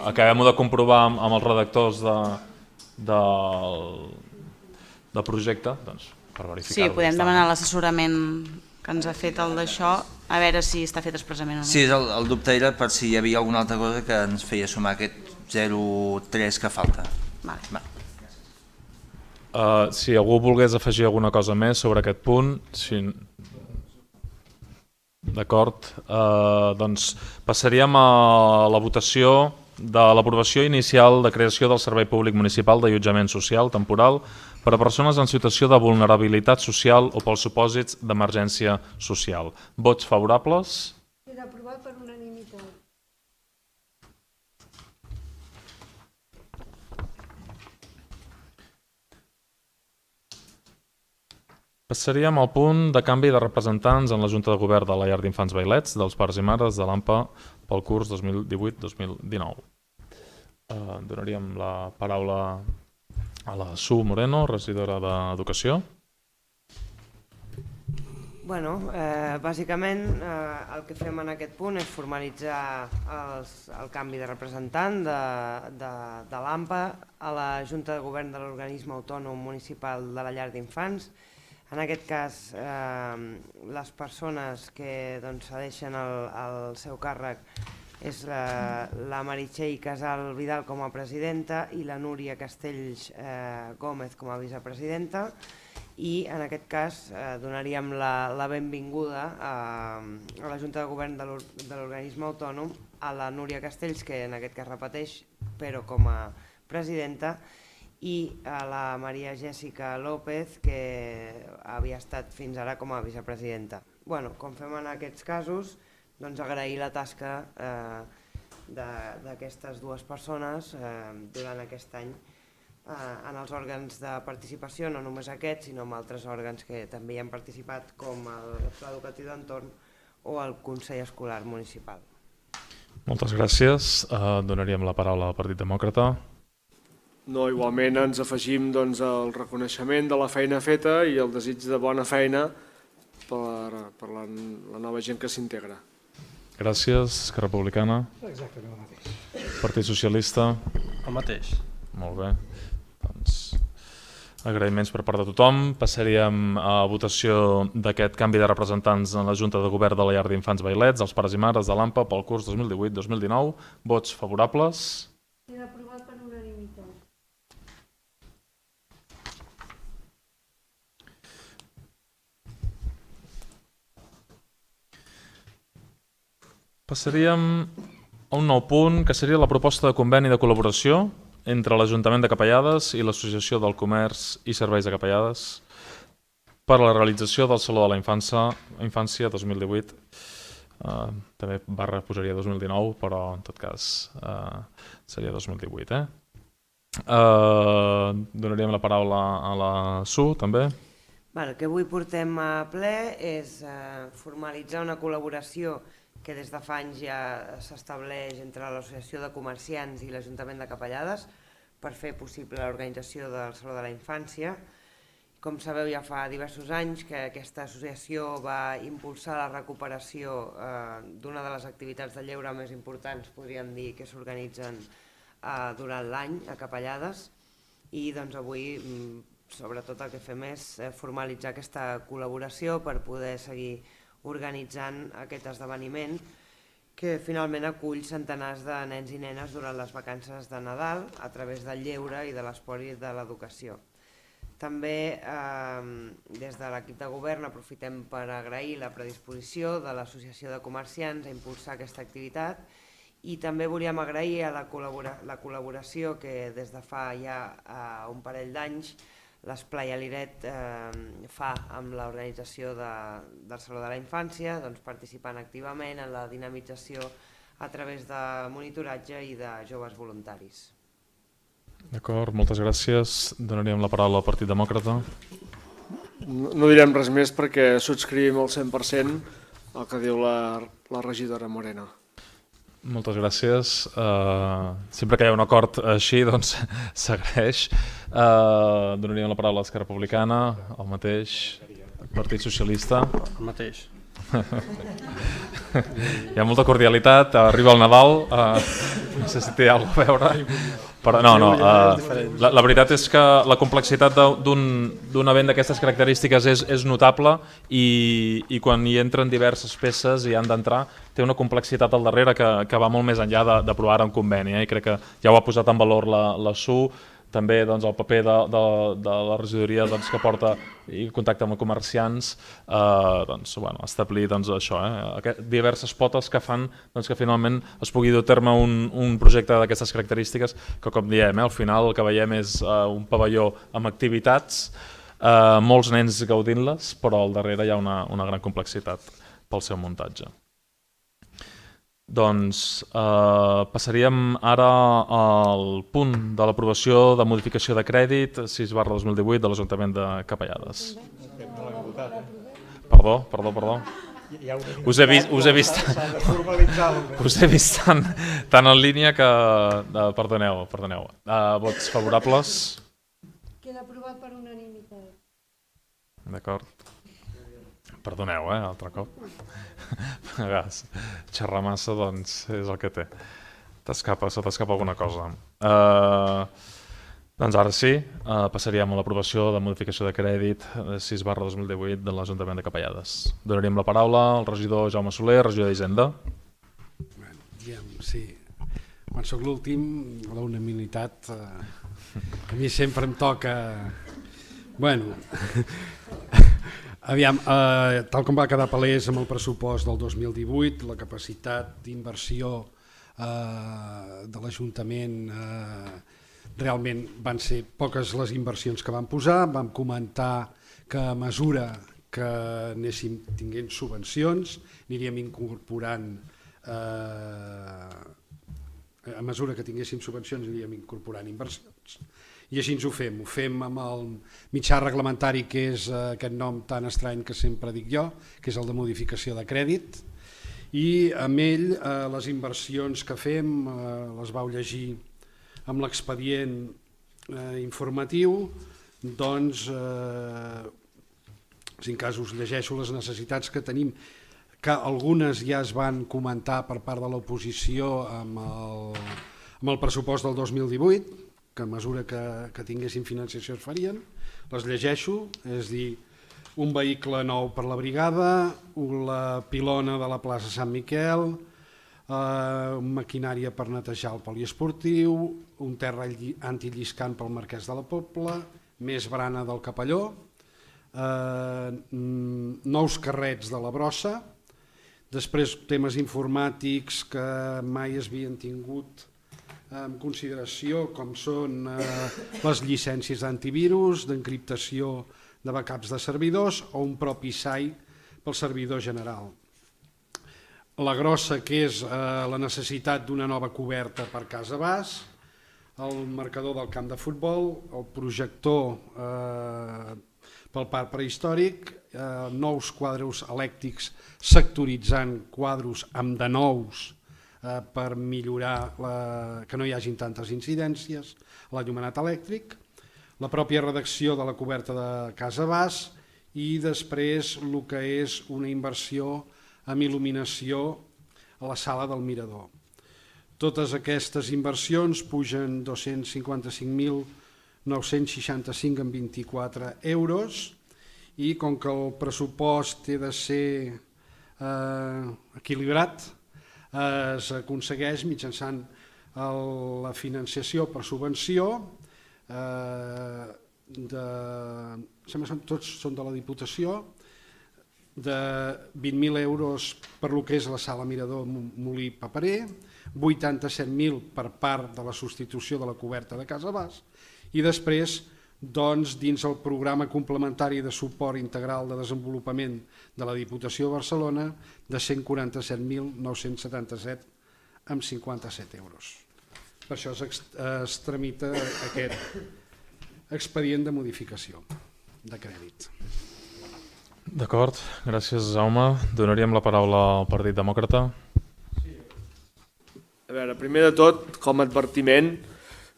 acabem-ho de comprovar amb els redactors del projecte, doncs, per verificar-ho. Sí, podem demanar l'assessorament que ens ha fet el d'això, a veure si està fet expressament o no. Sí, el dubte era per si hi havia alguna altra cosa que ens feia sumar aquest 0,3 que falta. Si algú volgués afegir alguna cosa més sobre aquest punt, d'acord, doncs passaríem a la votació de l'aprovació inicial de creació del Servei Públic Municipal d'Allotjament Social Temporal per a persones en situació de vulnerabilitat social o pels supòsits d'emergència social. Vots favorables? Queda aprovat per unanimitat. Passaríem al punt de canvi de representants en la Junta de Govern de la Llar d'Infants Vailets dels Pares i Mares de l'AMPA pel curs 2018-2019. Donaríem la paraula a la Su Moreno, regidora d'Educació. Bàsicament el que fem en aquest punt és formalitzar el canvi de representant de l'AMPA a la Junta de Govern de l'Organisme Autònom Municipal de la Llar d'Infants. En aquest cas, les persones que cedeixen el seu càrrec és la Meritxell Casal Vidal com a presidenta i la Núria Castells Gómez com a vicepresidenta, i en aquest cas donaríem la benvinguda a la Junta de Govern de l'organisme autònom a la Núria Castells, que en aquest cas repeteix, però com a presidenta, i a la Maria Jèssica López, que havia estat fins ara com a vicepresidenta. Com fem en aquests casos, doncs agrair la tasca d'aquestes dues persones durant aquest any en els òrgans de participació, no només aquests, sinó en altres òrgans que també hi han participat, com el Pla Educatiu d'Entorn o el Consell Escolar Municipal. Moltes gràcies. Donaríem la paraula al Partit Demòcrata. No, igualment ens afegim el reconeixement de la feina feta i el desig de bona feina per la nova gent que s'integra. Gràcies. Esquerra Republicana. Exactament el mateix. Partit Socialista. El mateix. Molt bé. Doncs agraïments per part de tothom. Passaríem a votació d'aquest canvi de representants en la Junta de Govern de la Llar d'Infants Vailets, els pares i mares de l'AMPA pel curs 2018-2019. Vots favorables. Queda aprovat per unanimitat. Passaríem a un nou punt, que seria la proposta de conveni de col·laboració entre l'Ajuntament de Capellades i l'Associació del Comerç i Serveis de Capellades per a la realització del Saló de la Infància 2018. També barra posaria 2019, però en tot cas seria 2018. Donaríem la paraula a la Su, també. El que avui portem a ple és formalitzar una col·laboració que des de fa anys ja s'estableix entre l'Associació de Comerciants i l'Ajuntament de Capellades per fer possible l'organització del Saló de la Infància. Com sabeu, ja fa diversos anys que aquesta associació va impulsar la recuperació d'una de les activitats de lleure més importants, podríem dir, que s'organitzen durant l'any a Capellades, i avui sobretot el que fem és formalitzar aquesta col·laboració per poder seguir organitzant aquest esdeveniment que finalment acull centenars de nens i nenes durant les vacances de Nadal a través del lleure i de l'esport i de l'educació. També des de l'equip de govern aprofitem per agrair la predisposició de l'Associació de Comerciants a impulsar aquesta activitat, i també volíem agrair la col·laboració que des de fa ja un parell d'anys l'Esplai Aliret fa amb l'organització del Saló de la Infància, participant activament en la dinamització a través de monitoratge i de joves voluntaris. D'acord, moltes gràcies. Donaríem la paraula al Partit Demòcrata. No direm res més perquè subscrivim al 100% el que diu la regidora Moreno. Moltes gràcies. Sempre que hi ha un acord així, doncs s'agraeix. Donaríem la paraula a l'Esquerra Republicana, el mateix, Partit Socialista. El mateix. Hi ha molta cordialitat, arriba el Nadal, no sé si té alguna a veure, però no, la veritat és que la complexitat d'un event d'aquestes característiques és notable, i quan hi entren diverses peces i han d'entrar, té una complexitat al darrere que va molt més enllà d'aprovar un conveni, i crec que ja ho ha posat en valor la Su, també el paper de la regidoria que porta i contacte amb els comerciants, establir això, diverses potes que fan que finalment es pugui dur a terme un projecte d'aquestes característiques, que com diem, al final el que veiem és un pavelló amb activitats, molts nens gaudint-les, però al darrere hi ha una gran complexitat pel seu muntatge. Doncs passaríem ara al punt de l'aprovació de modificació de crèdit 6/2018 de l'Ajuntament de Capellades. Perdó. Us he vist tan en línia que... Perdoneu. Vots favorables? Queda aprovat per unanimitat. D'acord. Perdoneu, altre cop. Xerrar massa, doncs, és el que té. Se t'escapa alguna cosa. Doncs ara sí, passaríem a l'aprovació de modificació de crèdit 6/2018 de l'Ajuntament de Capellades. Donaríem la paraula al regidor Jaume Soler, regidor d'Hisenda. Sí, quan sóc l'últim, la unanimitat a mi sempre em toca... Bueno, aviam, tal com va quedar palès amb el pressupost del 2018, la capacitat d'inversió de l'Ajuntament realment van ser poques les inversions que vam posar. Vam comentar que a mesura que anéssim tinguent subvencions aniríem incorporant inversions, i així ens ho fem. Ho fem amb el mitjà reglamentari, que és aquest nom tan estrany que sempre dic jo, que és el de modificació de crèdit, i amb ell les inversions que fem les vau llegir amb l'expedient informatiu. Doncs si en cas us llegeixo les necessitats que tenim, que algunes ja es van comentar per part de l'oposició amb el pressupost del 2018, que a mesura que tinguéssim financiació es farien. Les llegeixo, és dir, un vehicle nou per la brigada, la pilona de la plaça Sant Miquel, maquinària per netejar el poliesportiu, un terra antilliscant pel Marquès de la Pobla, més brana del Capelló, nous carrets de la brossa, després temes informàtics que mai es havien tingut en consideració, com són les llicències d'antivirus, d'encriptació de backups de servidors o un propi SAI pel servidor general. La grossa, que és la necessitat d'una nova coberta per Casa Bas, el marcador del camp de futbol, el projector pel parc prehistòric, nous quadres elèctrics sectoritzant quadres amb de nous per millorar que no hi hagin tantes incidències, l'enllumenat elèctric, la pròpia redacció de la coberta de Casa Bas i després el que és una inversió amb il·luminació a la sala del mirador. Totes aquestes inversions pugen 255.965,24 euros i com que el pressupost té de ser equilibrat, es aconsegueix mitjançant la financiació per subvenció, tots són de la Diputació, de 20.000 euros per lo que és la sala Mirador Molí Paperer, 87.000 per part de la substitució de la coberta de Casa Bas i després dins el programa complementari de suport integral de desenvolupament de la Diputació de Barcelona de 147.977,57 euros. Per això es tramita aquest expedient de modificació de crèdit. D'acord, gràcies Jaume. Donaríem la paraula al Partit Demòcrata. A veure, primer de tot, com a advertiment,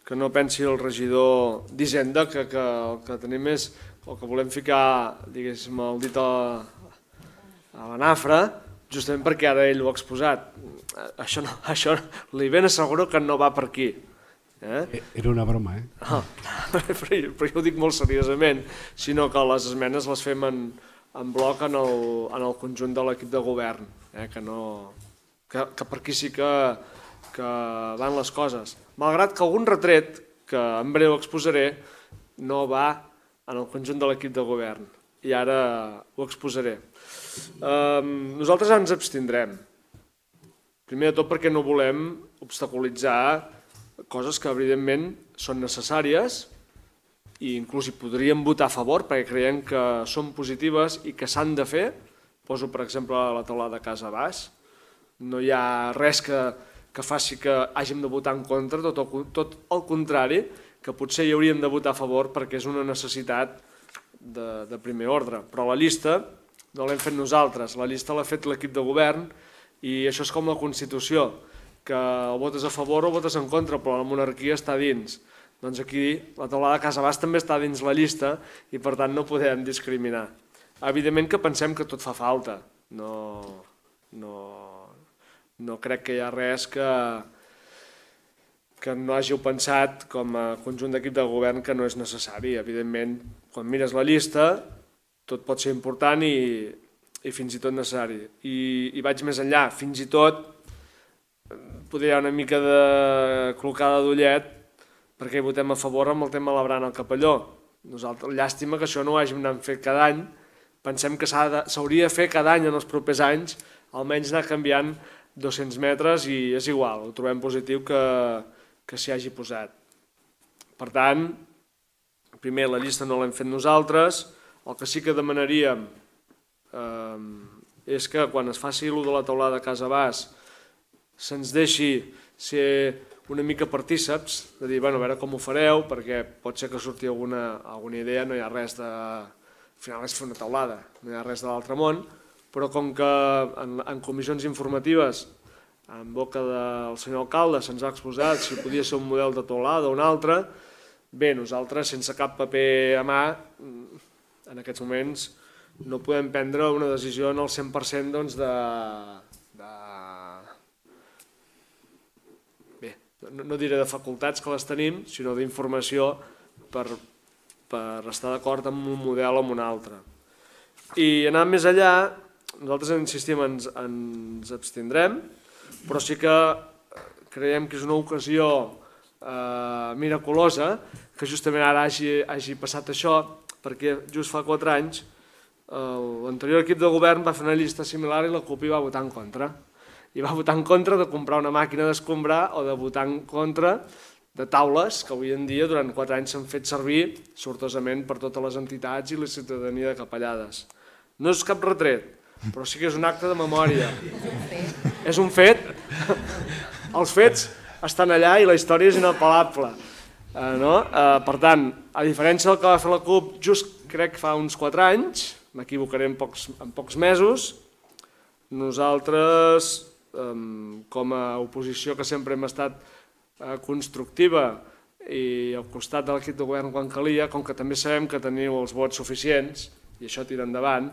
que no pensi el regidor d'Hisenda que el que tenim és, o que volem ficar, diguéssim, el dit a la nafra, justament perquè ara ell ho ha exposat. Això li ben asseguro que no va per aquí. Era una broma, eh? Però jo ho dic molt seriosament, sinó que les esmenes les fem en bloc en el conjunt de l'equip de govern, que per aquí sí que van les coses. Malgrat que algun retret, que en breu exposaré, no va en el conjunt de l'equip de govern. I ara ho exposaré. Nosaltres ens abstindrem. Primer de tot perquè no volem obstaculitzar coses que evidentment són necessàries i inclús hi podríem votar a favor perquè creiem que són positives i que s'han de fer. Poso, per exemple, la taulada de Casa Bas. No hi ha res que faci que hàgim de votar en contra, tot el contrari, que potser hi hauríem de votar a favor perquè és una necessitat de primer ordre. Però la llista no l'hem fet nosaltres, la llista l'ha fet l'equip de govern i això és com la Constitució, que o votes a favor o votes en contra, però la monarquia està dins. Doncs aquí la taulada de Casa Bas també està dins la llista i per tant no podem discriminar. Evidentment que pensem que tot fa falta, no crec que hi ha res que que no hàgiu pensat com a conjunt d'equip de govern que no és necessari. Evidentment, quan mires la llista, tot pot ser important i fins i tot necessari. I vaig més enllà, fins i tot poder hi ha una mica de clocada d'ullet perquè hi votem a favor amb el tema de la brana al Capelló. Nosaltres, llàstima que això no ho hàgim anat fet cada any. Pensem que s'hauria de fer cada any en els propers anys, almenys anar canviant 200 metres i és igual, ho trobem positiu que s'hi hagi posat. Per tant, primer la llista no l'hem fet nosaltres, el que sí que demanaríem és que quan es faci l'ús de la teulada a Casa Bas se'ns deixi ser una mica partíceps, de dir, bueno, a veure com ho fareu, perquè pot ser que surti alguna idea, no hi ha res de... Al final és fer una teulada, no hi ha res de l'altre món, però com que en comissions informatives, en boca del senyor alcalde, se'ns ha exposat si podia ser un model de teulada o un altre, bé, nosaltres, sense cap paper a mà, en aquests moments no podem prendre una decisió en el 100% doncs, bé, no diré de facultats que les tenim, sinó d'informació per estar d'acord amb un model o amb un altre. I anant més allà, nosaltres insistim, ens abstindrem, però sí que creiem que és una ocasió miraculosa que justament ara hagi passat això, perquè just fa 4 anys l'anterior equip de govern va fer una llista similar i la CUP hi va votar en contra. I va votar en contra de comprar una màquina d'escombrar o de votar en contra de taules que avui en dia durant 4 anys s'han fet servir sortosament per totes les entitats i la ciutadania de Capellades. No és cap retret, però sí que és un acte de memòria. És un fet. Els fets estan allà i la història és inapel·lable. Per tant, a diferència del que va fer la CUP just crec que fa uns 4 anys, m'equivocaré en pocs mesos, nosaltres, com a oposició que sempre hem estat constructiva i al costat de l'equip de govern quan calia, com que també sabem que teniu els vots suficients i això tira endavant,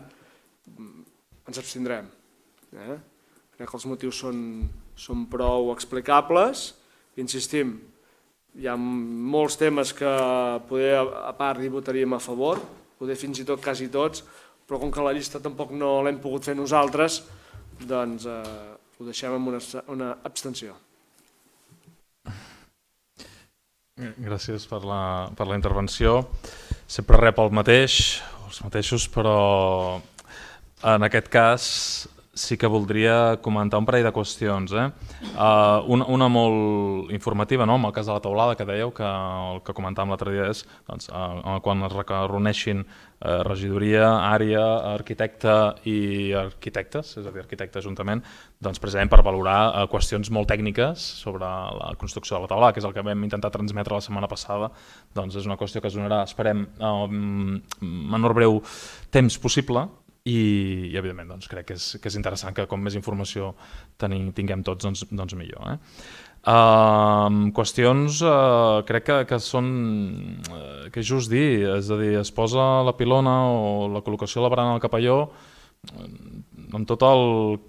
ens abstindrem. Crec que els motius són prou explicables. Insistim, hi ha molts temes que poder a part hi votaríem a favor, poder fins i tot quasi tots, però com que la llista tampoc no l'hem pogut fer nosaltres, doncs ho deixem amb una abstenció. Gràcies per la intervenció. Sempre rep els mateixos, però en aquest cas sí que voldria comentar un parell de qüestions. Una molt informativa, amb el cas de la teulada que dèieu, que el que comentàvem l'altre dia és quan es reuneixin regidoria, àrea, arquitecte i arquitectes, és a dir, arquitecte ajuntament, doncs precisament per valorar qüestions molt tècniques sobre la construcció de la teulada, que és el que vam intentar transmetre la setmana passada. Doncs és una qüestió que es donarà, esperem, en menor breu temps possible, i evidentment crec que és interessant que com més informació tinguem tots, doncs millor. Qüestions crec que són, que és just dir, és a dir, es posa la pilona o la col·locació de la barana al Capelló amb tot el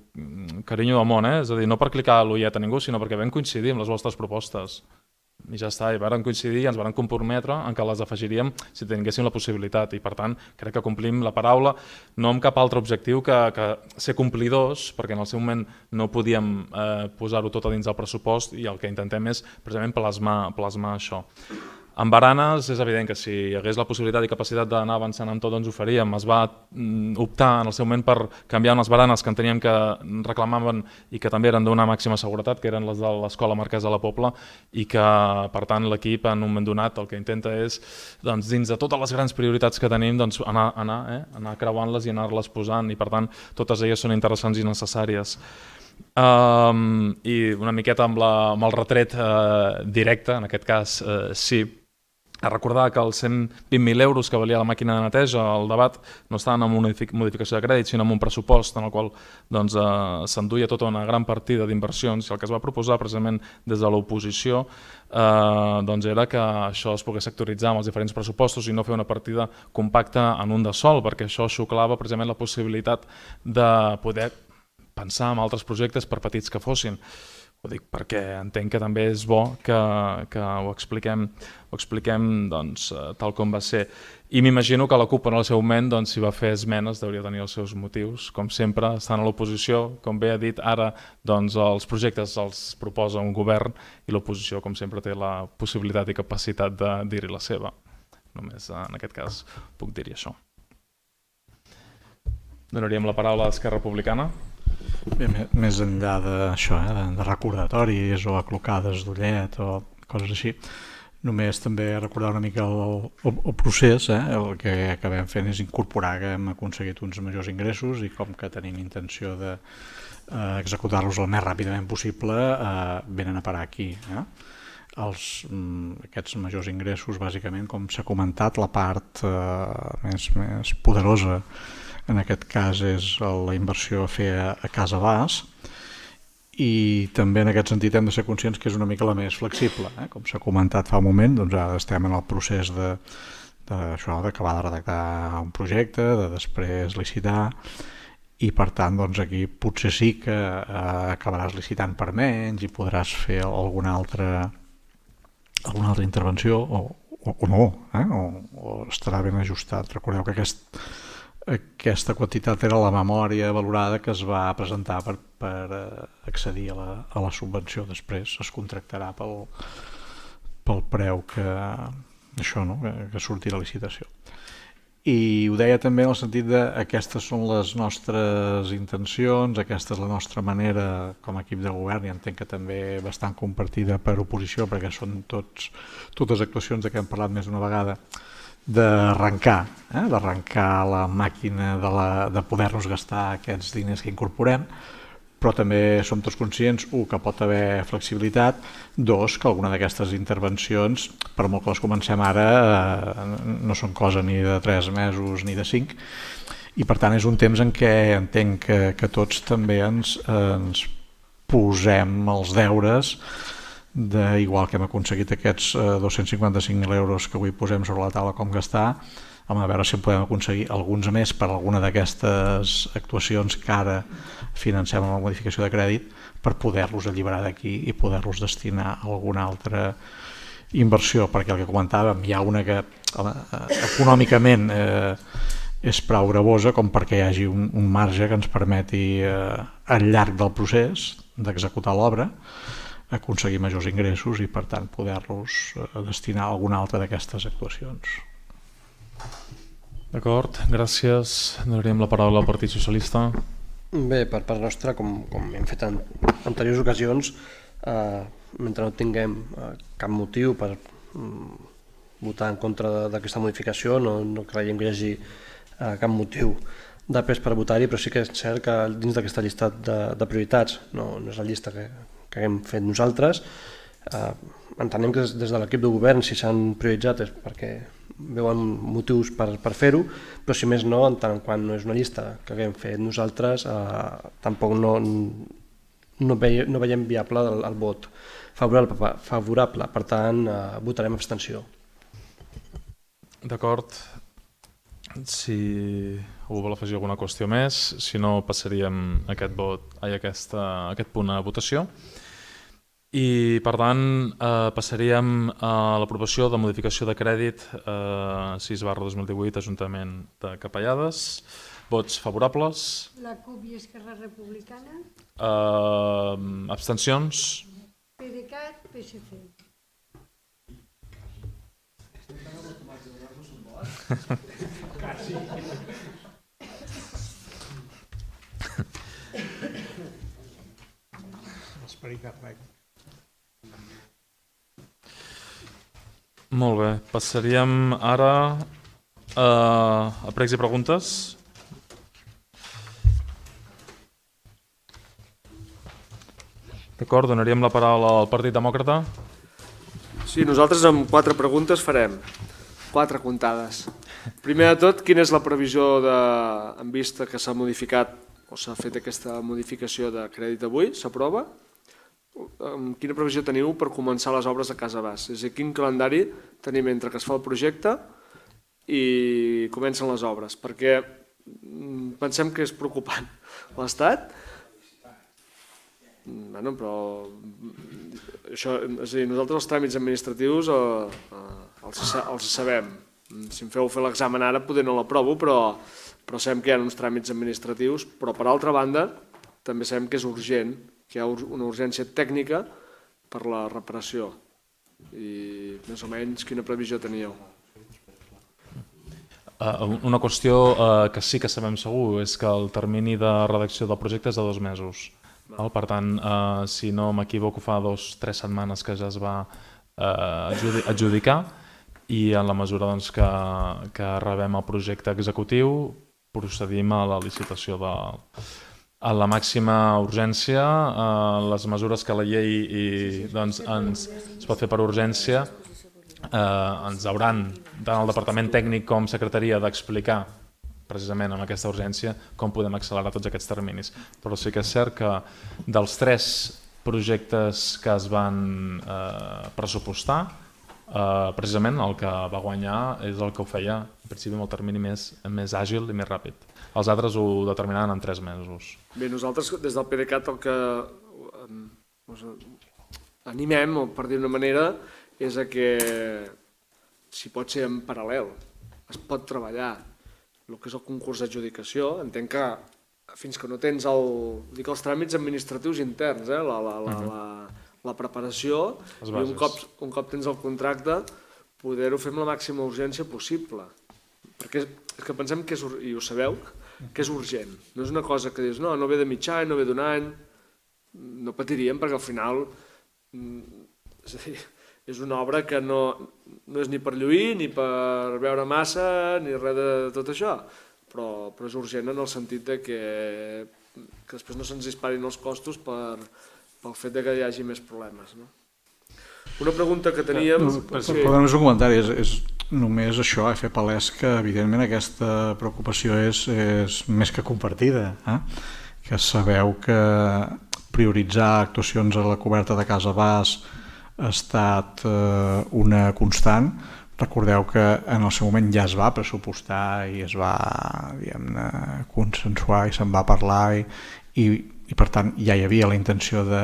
carinyo del món, és a dir, no per clicar l'ullet a ningú, sinó perquè vam coincidir amb les vostres propostes. I ja està, i varen coincidir i ens varen comprometre en què les afegiríem si tinguéssim la possibilitat, i per tant crec que complim la paraula, no amb cap altre objectiu que ser complidors, perquè en el seu moment no podíem posar-ho tot a dins del pressupost i el que intentem és precisament plasmar això. Amb baranes és evident que si hi hagués la possibilitat i capacitat d'anar avançant amb tot, doncs ho faríem. Es va optar en el seu moment per canviar unes baranes que enteníem que reclamaven i que també eren d'una màxima seguretat, que eren les de l'Escola Marquès de la Pobla, i que, per tant, l'equip en un moment donat el que intenta és, dins de totes les grans prioritats que tenim, anar creuant-les i anar-les posant, i per tant, totes elles són interessants i necessàries. I una miqueta amb el retret directe, en aquest cas sí, a recordar que els 120.000 euros que valia la màquina de neteja, el debat no estaven en una modificació de crèdit, sinó en un pressupost en el qual s'enduia tota una gran partida d'inversions, i el que es va proposar precisament des de l'oposició era que això es pogués sectoritzar amb els diferents pressupostos i no fer una partida compacta en un de sol, perquè això xuclava precisament la possibilitat de poder pensar en altres projectes per petits que fossin. Ho dic perquè entenc que també és bo que ho expliquem tal com va ser. I m'imagino que la CUP en el seu moment, si va fer esmenes, deuria tenir els seus motius. Com sempre, estan a l'oposició, com bé ha dit ara, els projectes els proposa un govern i l'oposició, com sempre, té la possibilitat i capacitat de dir-hi la seva. Només en aquest cas puc dir-hi això. Donaríem la paraula a Esquerra Republicana. Bé, més enllà d'això, de recordatoris o aclocades d'ullet o coses així, només també recordar una mica el procés. El que acabem fent és incorporar que hem aconseguit uns majors ingressos i com que tenim intenció d'executar-los el més ràpidament possible, venen a parar aquí. Aquests majors ingressos, bàsicament, com s'ha comentat, la part més poderosa en aquest cas és la inversió a fer a Casa Bas, i també en aquest sentit hem de ser conscients que és una mica la més flexible. Com s'ha comentat fa un moment, ara estem en el procés d'acabar de redactar un projecte, de després licitar, i per tant aquí potser sí que acabaràs licitant per menys i podràs fer alguna altra intervenció o no, o estarà ben ajustat. Recordeu que aquesta quantitat era la memòria valorada que es va presentar per accedir a la subvenció. Després es contractarà pel preu que surti la licitació. I ho deia també en el sentit de aquestes són les nostres intencions, aquesta és la nostra manera com a equip de govern, i entenc que també bastant compartida per oposició, perquè són totes actuacions de què hem parlat més d'una vegada, d'arrencar la màquina de poder-nos gastar aquests diners que incorporem, però també som tots conscients, que pot haver flexibilitat, que alguna d'aquestes intervencions, per molt que les comencem ara, no són cosa ni de 3 mesos ni de 5, i per tant és un temps en què entenc que tots també ens posem els deures, igual que hem aconseguit aquests 255.000 euros que avui posem sobre la taula com gastar, a veure si en podem aconseguir alguns més per alguna d'aquestes actuacions que ara financem amb la modificació de crèdit, per poder-los alliberar d'aquí i poder-los destinar a alguna altra inversió, perquè el que comentàvem, hi ha una que econòmicament és prou gravosa com perquè hi hagi un marge que ens permeti al llarg del procés d'executar l'obra aconseguir majors ingressos i per tant poder-los destinar a alguna altra d'aquestes actuacions. D'acord, gràcies. Donaríem la paraula al Partit Socialista. Bé, per part nostra, com hem fet en anteriors ocasions, mentre no tinguem cap motiu per votar en contra d'aquesta modificació, no creiem que hi hagi cap motiu de pes per votar-hi, però sí que és cert que dins d'aquesta llista de prioritats, no és la llista que hem fet nosaltres, entenem que des de l'equip de govern, si s'han prioritzat és perquè veuen motius per fer-ho, però si més no, en tant quan no és una llista que haguem fet nosaltres, tampoc no veiem viable el vot favorable, per tant votarem abstenció. D'acord, si algú vol afegir alguna qüestió més, si no passaríem aquest punt a votació. I per tant passaríem a l'aprovació de modificació de crèdit 6/2018 Ajuntament de Capellades. Vots favorables? La CUP i Esquerra Republicana. Abstencions? PDeCAT, PSC. Molt bé, passaríem ara a pregs i preguntes. D'acord, donaríem la paraula al Partit Demòcrata. Sí, nosaltres amb 4 preguntes farem 4 comptades. Primer de tot, quina és la previsió en vista que s'ha modificat o s'ha fet aquesta modificació de crèdit avui? S'aprova? Quina previsió teniu per començar les obres de Casa Bas? És a dir, quin calendari tenim entre que es fa el projecte i comencen les obres? Perquè pensem que és preocupant. L'Estat? Bueno, però això, és a dir, nosaltres els tràmits administratius els sabem. Si em feu fer l'examen ara, poder no l'aprovo, però sabem que hi ha uns tràmits administratius, però per altra banda també sabem que és urgent, que hi ha una urgència tècnica per la reparació. I més o menys quina previsió teníeu? Una qüestió que sí que sabem segur és que el termini de redacció del projecte és de 2 mesos. Per tant, si no m'equivoco, fa 2 o 3 setmanes que ja es va adjudicar i en la mesura que rebem el projecte executiu procedim a la licitació a la màxima urgència. Les mesures que la llei ens pot fer per urgència ens hauran, tant el Departament Tècnic com Secretaria, d'explicar precisament amb aquesta urgència com podem accelerar tots aquests terminis. Però sí que és cert que dels 3 projectes que es van pressupostar, precisament el que va guanyar és el que ho feia en principi amb el termini més àgil i més ràpid. Els altres ho determinaven en 3 mesos. Bé, nosaltres des del PDeCAT el que animem, per dir d'una manera, és que si pot ser en paral·lel, es pot treballar el que és el concurs d'adjudicació. Entenc que fins que no tens els tràmits administratius interns, la preparació, i un cop tens el contracte, poder-ho fer amb la màxima urgència possible. Perquè és que pensem que, i ho sabeu, que és urgent. No és una cosa que dius, no ve de mig any, no ve d'un any, no patiríem perquè al final és una obra que no és ni per lluir, ni per veure massa, ni res de tot això, però és urgent en el sentit que després no se'ns disparin els costos pel fet que hi hagi més problemes. Una pregunta que teníem... Només un comentari, és només això, fer palès que evidentment aquesta preocupació és més que compartida, que sabeu que prioritzar actuacions a la coberta de Casa Bas ha estat una constant. Recordeu que en el seu moment ja es va pressupostar i es va consensuar i se'n va parlar i per tant ja hi havia la intenció de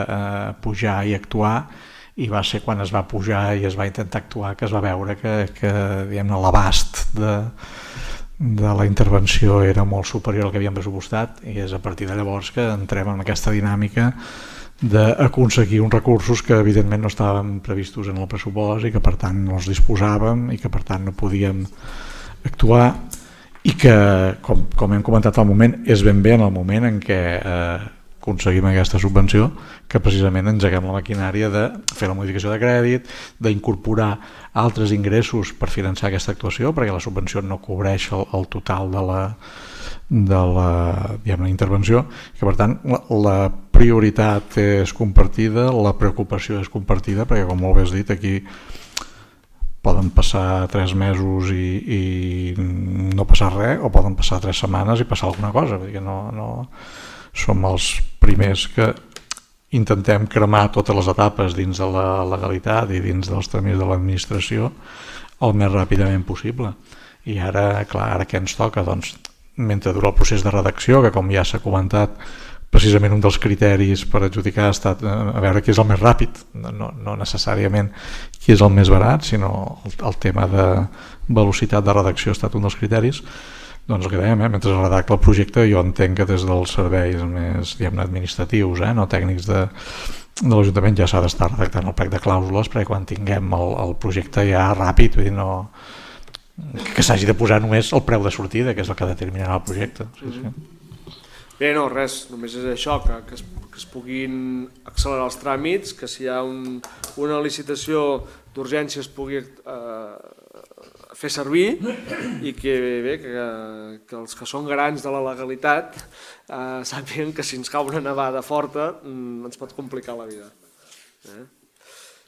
pujar i actuar, i va ser quan es va pujar i es va intentar actuar que es va veure que l'abast de la intervenció era molt superior al que havíem pressupostat, i és a partir de llavors que entrem en aquesta dinàmica d'aconseguir uns recursos que evidentment no estaven previstos en el pressupost i que per tant no els disposàvem i que per tant no podíem actuar, i que, com hem comentat al moment, és ben bé en el moment en què aconseguim aquesta subvenció que precisament engeguem la maquinària de fer la modificació de crèdit, d'incorporar altres ingressos per finançar aquesta actuació, perquè la subvenció no cobreix el total de la intervenció, que per tant la prioritat és compartida, la preocupació és compartida, perquè com molt bé has dit, aquí poden passar 3 mesos i no passar res, o poden passar 3 setmanes i passar alguna cosa, perquè no som els primers que intentem cremar totes les etapes dins de la legalitat i dins dels tràmits de l'administració el més ràpidament possible. I ara, clar, ara què ens toca? Doncs, mentre dura el procés de redacció, que com ja s'ha comentat, precisament un dels criteris per adjudicar ha estat a veure qui és el més ràpid, no necessàriament qui és el més barat, sinó el tema de velocitat de redacció ha estat un dels criteris. Doncs el que dèiem, mentre es redacta el projecte, jo entenc que des dels serveis més administratius, no tècnics de l'Ajuntament, ja s'ha d'estar redactant el plec de clàusules, perquè quan tinguem el projecte ja ràpid, vull dir, que s'hagi de posar només el preu de sortida, que és el que determinarà el projecte. Bé, no, res, només és això, que es puguin accelerar els tràmits, que si hi ha una licitació d'urgència es pugui fer servir, i que els que són garants de la legalitat sàpiguen que si ens cau una nevada forta ens pot complicar la vida.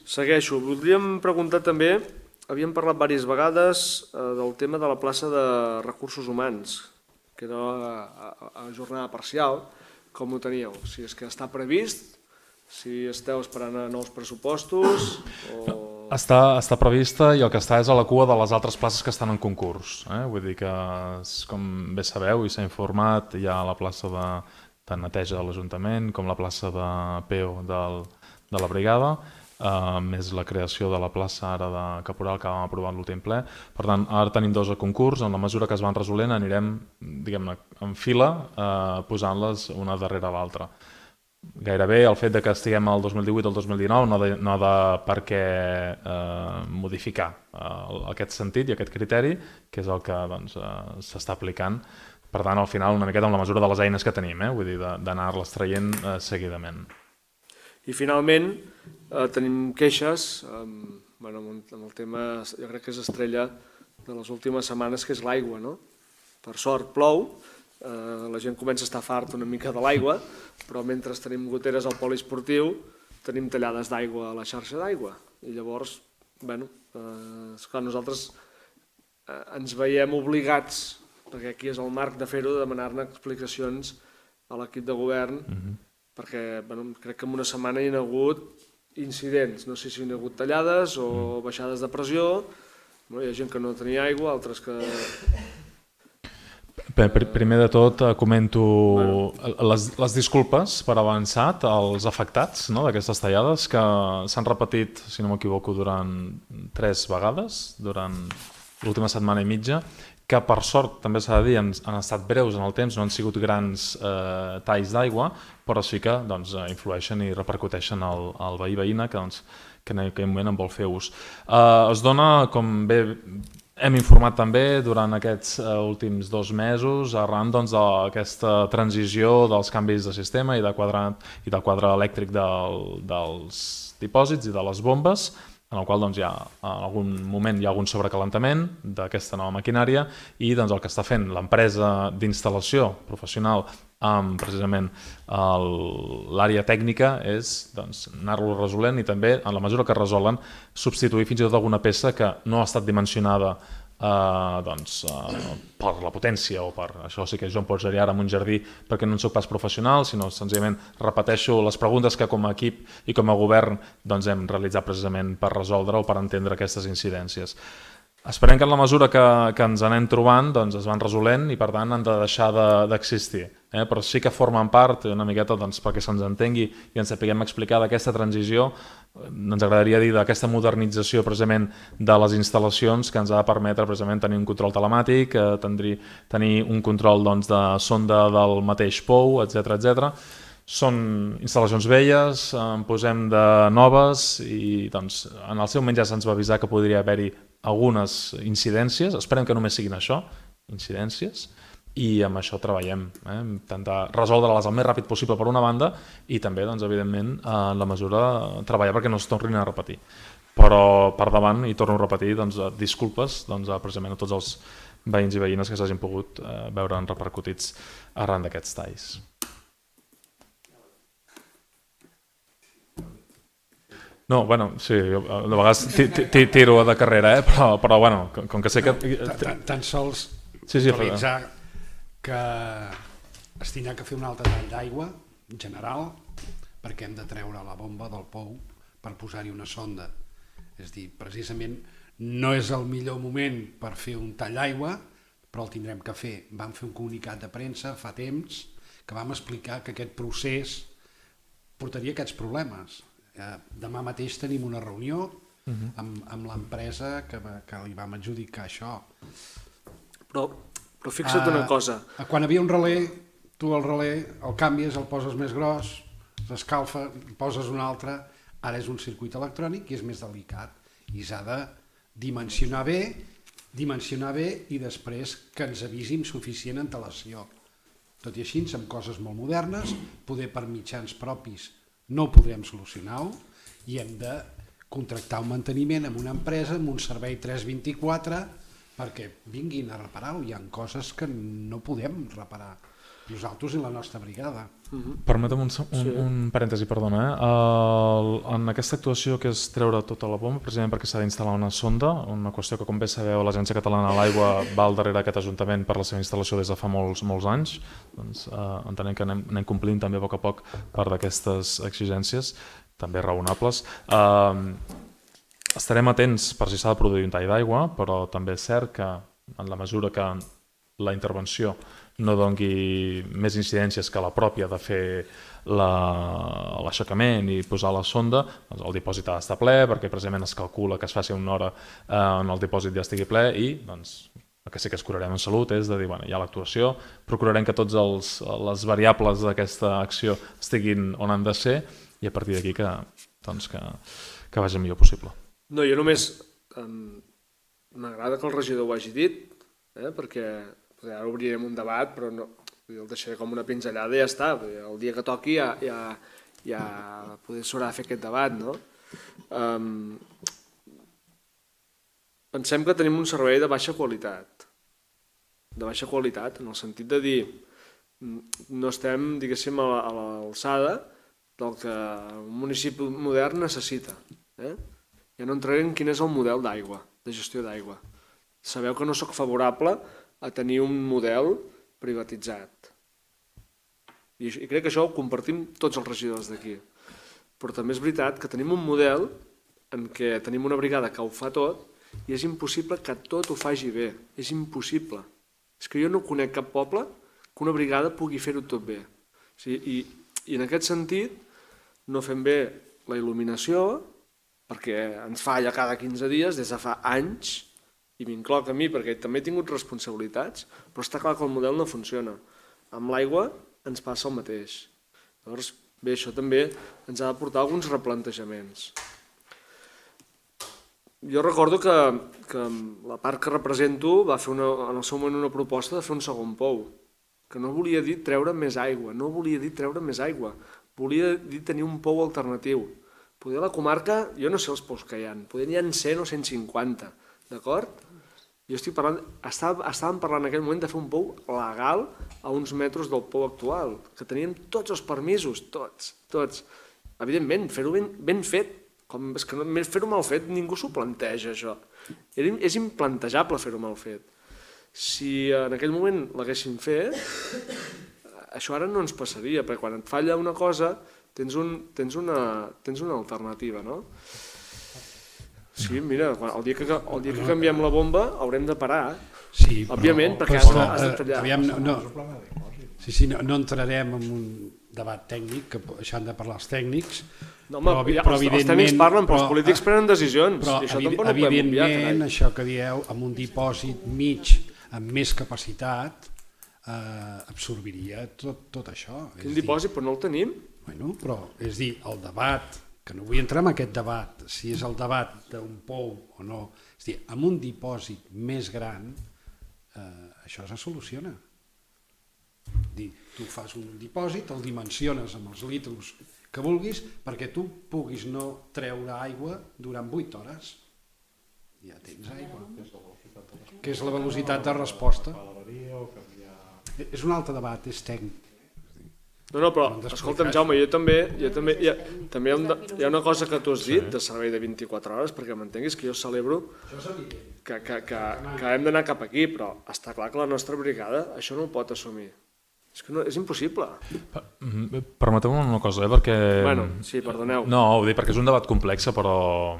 Segueixo. Voldríem preguntar també, havíem parlat diverses vegades del tema de la plaça de recursos humans, que era a jornada parcial. Com ho teníeu? Si és que està previst, si esteu esperant a nous pressupostos o... Està prevista, i el que està és a la cua de les altres places que estan en concurs. Vull dir que, com bé sabeu i s'ha informat, hi ha la plaça de neteja de l'Ajuntament com la plaça de Peu de la Brigada, més la creació de la plaça ara de Caporal que vam aprovar en l'últim ple. Per tant, ara tenim dos a concurs, en la mesura que es van resolent anirem, diguem-ne, en fila posant-les una darrere l'altra. Gairebé el fet que estiguem al 2018 o al 2019 no ha de per què modificar aquest sentit i aquest criteri, que és el que s'està aplicant. Per tant, al final, una miqueta amb la mesura de les eines que tenim, vull dir, d'anar-les traient seguidament. I finalment tenim queixes amb el tema, jo crec que és estrella de les últimes setmanes, que és l'aigua. Per sort plou, la gent comença a estar fart una mica de l'aigua, però mentre tenim goteres al poliesportiu tenim tallades d'aigua a la xarxa d'aigua. I llavors, esclar, nosaltres ens veiem obligats, perquè aquí és el marc de fer-ho, de demanar-ne explicacions a l'equip de govern, perquè crec que en una setmana hi ha hagut incidents, no sé si hi ha hagut tallades o baixades de pressió, hi ha gent que no tenia aigua, altres que... Primer de tot comento les disculpes per avançat als afectats d'aquestes tallades, que s'han repetit, si no m'equivoco, durant 3 vegades, durant l'última setmana i mitja, que per sort, també s'ha de dir, han estat breus en el temps, no han sigut grans talls d'aigua, però sí que influeixen i repercuteixen al veí-veïna que en aquell moment en vol fer ús. Es dona, com bé hem informat també durant aquests últims 2 mesos, arran d'aquesta transició dels canvis de sistema i del quadre elèctric dels dipòsits i de les bombes, en el qual en algun moment hi ha algun sobrecalentament d'aquesta nova maquinària i el que està fent l'empresa d'instal·lació professional amb precisament l'àrea tècnica és anar-lo resolent i també, en la mesura que resolen, substituir fins i tot alguna peça que no ha estat dimensionada per la potència o per això. Sí que jo em posaria ara en un jardí perquè no en soc pas professional, sinó senzillament repeteixo les preguntes que com a equip i com a govern hem realitzat precisament per resoldre o per entendre aquestes incidències. Esperem que en la mesura que ens anem trobant es van resolent i per tant han de deixar d'existir, però sí que formen part una miqueta perquè se'ns entengui i ens sapiguem explicar d'aquesta transició, ens agradaria dir d'aquesta modernització precisament de les instal·lacions que ens ha de permetre precisament tenir un control telemàtic, tenir un control de sonda del mateix POU, etc. Són instal·lacions velles, en posem de noves i en el seu moment ja se'ns va avisar que podria haver-hi algunes incidències, esperem que només siguin això, incidències, i amb això treballem, intentar resoldre-les el més ràpid possible per una banda i també, evidentment, en la mesura treballar perquè no es tornin a repetir. Però per davant, i torno a repetir, disculpes precisament a tots els veïns i veïnes que s'hagin pogut veure repercutits arran d'aquests talls. No, sí, de vegades tiro de carrera, però com que sé que... Tan sols actualitzar que es tindrà que fer un altre tall d'aigua general perquè hem de treure la bomba del POU per posar-hi una sonda. És a dir, precisament no és el millor moment per fer un tall d'aigua, però el tindrem que fer. Vam fer un comunicat de premsa fa temps que vam explicar que aquest procés portaria aquests problemes. Demà mateix tenim una reunió amb l'empresa que li vam adjudicar això. Però fixa't una cosa. Quan havia un relé, tu el relé el canvies, el poses més gros, s'escalfa, poses un altre. Ara és un circuit electrònic i és més delicat i s'ha de dimensionar bé i després que ens avisi amb suficient antelació. Tot i així, amb coses molt modernes, poder per mitjans propis no ho podrem solucionar i hem de contractar un manteniment amb una empresa, amb un servei 324, perquè vinguin a reparar-ho. Hi ha coses que no podem reparar nosaltres i la nostra brigada. Permetem un parèntesi, perdona. En aquesta actuació que és treure tota la bomba, precisament perquè s'ha d'instal·lar una sonda, una qüestió que, com bé sabeu, l'Agència Catalana de l'Aigua va al darrere d'aquest Ajuntament per la seva instal·lació des de fa molts anys. Entenem que anem complint també a poc part d'aquestes exigències, també raonables. Estarem atents per si s'ha de produir un tall d'aigua, però també és cert que en la mesura que la intervenció no doni més incidències que la pròpia de fer l'aixecament i posar la sonda, doncs el dipòsit ha d'estar ple perquè precisament es calcula que es faci una hora on el dipòsit ja estigui ple i doncs, el que sí que es curarem en salut és de dir, bueno, hi ha l'actuació, procurarem que totes les variables d'aquesta acció estiguin on han de ser i a partir d'aquí que vagi el millor possible. No, jo només m'agrada que el regidor ho hagi dit, perquè ara obrirem un debat, però no, el deixaré com una pinzellada i ja està. El dia que toqui ja poder s'haurà de fer aquest debat, no? Pensem que tenim un servei de baixa qualitat, en el sentit de dir no estem, diguéssim, a l'alçada del que un municipi modern necessita. Ja no entraré en quin és el model d'aigua, de gestió d'aigua. Sabeu que no sóc favorable a tenir un model privatitzat. I crec que això ho compartim tots els regidors d'aquí. Però també és veritat que tenim un model en què tenim una brigada que ho fa tot i és impossible que tot ho faci bé. És impossible. És que jo no conec cap poble que una brigada pugui fer-ho tot bé. I en aquest sentit no fem bé la il·luminació perquè ens falla cada 15 dies des de fa anys i m'incloc a mi perquè també he tingut responsabilitats, però està clar que el model no funciona. Amb l'aigua ens passa el mateix. Llavors, bé, això també ens ha de portar alguns replantejaments. Jo recordo que la part que represento va fer en el seu moment una proposta de fer un segon pou, que no volia dir treure més aigua, volia dir tenir un pou alternatiu. Poder a la comarca, jo no sé els pous que hi ha, poder n'hi ha 100 o 150, d'acord? Jo estic parlant, estàvem parlant en aquell moment de fer un pou legal a uns metres del pou actual, que teníem tots els permisos, tots. Evidentment, fer-ho ben fet, és que fer-ho mal fet ningú s'ho planteja, això. És implantejable fer-ho mal fet. Si en aquell moment l'haguéssim fet, això ara no ens passaria, perquè quan et falla una cosa tens una alternativa, no? Sí, mira, el dia que canviem la bomba haurem de parar, òbviament, perquè has de tallar. No entrarem en un debat tècnic, que això han de parlar els tècnics. No, home, els tècnics parlen, però els polítics prenen decisions. Però evidentment, això que dieu, amb un dipòsit mig amb més capacitat, absorbiria tot això. Quin dipòsit? Però no el tenim. Bueno, però, és dir, el debat, que no vull entrar en aquest debat, si és el debat d'un pou o no, és dir, amb un dipòsit més gran, això se soluciona. Tu fas un dipòsit, el dimensiones amb els litros que vulguis, perquè tu puguis no treure aigua durant 8 hores. Ja tens aigua. Que és la velocitat de resposta. És un altre debat, és tècnic. No, però, escolta'm, Jaume, jo també hi ha una cosa que tu has dit de servei de 24 hores, perquè m'entenguis que jo celebro que hem d'anar cap aquí, però està clar que la nostra brigada això no ho pot assumir. És impossible. Permeteu-me una cosa, perquè... Bueno, sí, perdoneu. No, ho dic perquè és un debat complex, però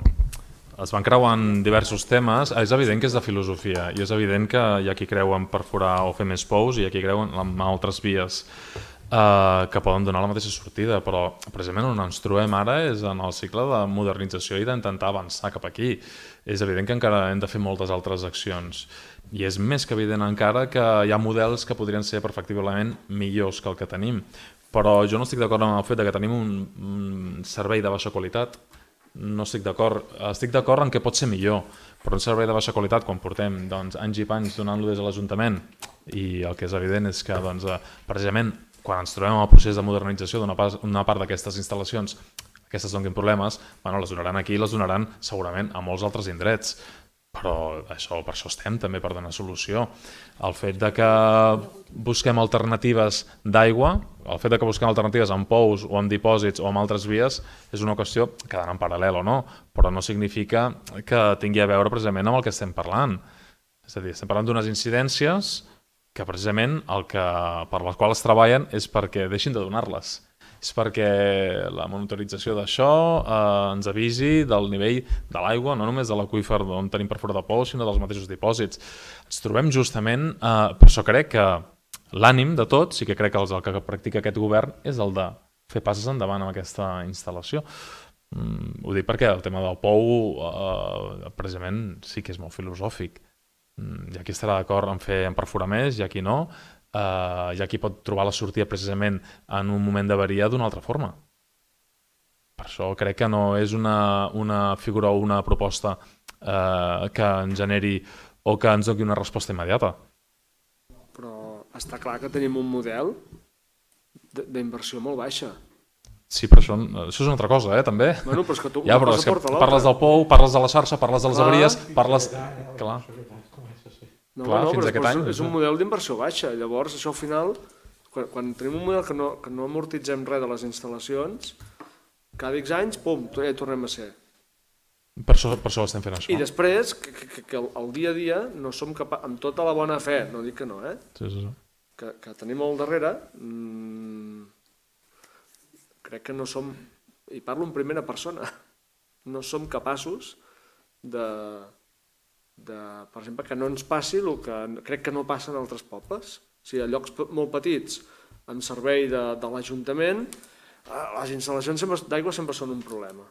es van creuant diversos temes. És evident que és de filosofia i és evident que hi ha qui creu en perforar o fer més pous i hi ha qui creu en altres vies que poden donar la mateixa sortida, però precisament on ens trobem ara és en el cicle de modernització i d'intentar avançar cap aquí. És evident que encara hem de fer moltes altres accions i és més que evident encara que hi ha models que podrien ser perfectiblement millors que el que tenim, però jo no estic d'acord amb el fet que tenim un servei de baixa qualitat. No estic d'acord. Estic d'acord en què pot ser millor, però un servei de baixa qualitat quan portem anys i panys donant-lo des de l'Ajuntament i el que és evident és que precisament quan ens trobem en el procés de modernització d'una part d'aquestes instal·lacions, aquestes donin problemes, les donaran aquí i les donaran segurament a molts altres indrets. Però per això estem també, per donar solució. El fet que busquem alternatives d'aigua, el fet que busquem alternatives amb pous o amb dipòsits o amb altres vies és una qüestió que ha d'anar en paral·lel o no, però no significa que tingui a veure precisament amb el que estem parlant. És a dir, estem parlant d'unes incidències que precisament per les quals treballen és perquè deixin de donar-les. és perquè la monitorització d'això ens avisi del nivell de l'aigua, no només de l'aqüífer on tenim perforat de pou, sinó dels mateixos dipòsits. Ens trobem justament, per això crec que l'ànim de tots, i que crec que el que practica aquest govern, és el de fer passes endavant amb aquesta instal·lació. Ho dic perquè el tema del pou precisament sí que és molt filosòfic. Hi ha qui estarà d'acord en perforar més, hi ha qui no, hi ha qui pot trobar la sortida precisament en un moment d'avaria d'una altra forma. Per això crec que no és una figura o una proposta que ens generi o que ens doni una resposta immediata. Però està clar que tenim un model d'inversió molt baixa. Sí, però això és una altra cosa, també. Bueno, però és que tu ja, però és que parles del pou, parles de la xarxa, parles de les avaries, parles... Clar. No, però és un model d'inversió baixa. Llavors, això al final, quan tenim un model que no amortitzem res de les instal·lacions, cada X anys, pum, ja hi tornem a ser. Per això estem fent això. I després, que el dia a dia no som capaços, amb tota la bona fe, no dic que no, sí. Que tenim al darrere, crec que no som, i parlo en primera persona, no som capaços de per exemple, que no ens passi el que crec que no passa en altres pobles. O sigui, a llocs molt petits, amb servei de l'Ajuntament, les instal·lacions d'aigua sempre són un problema.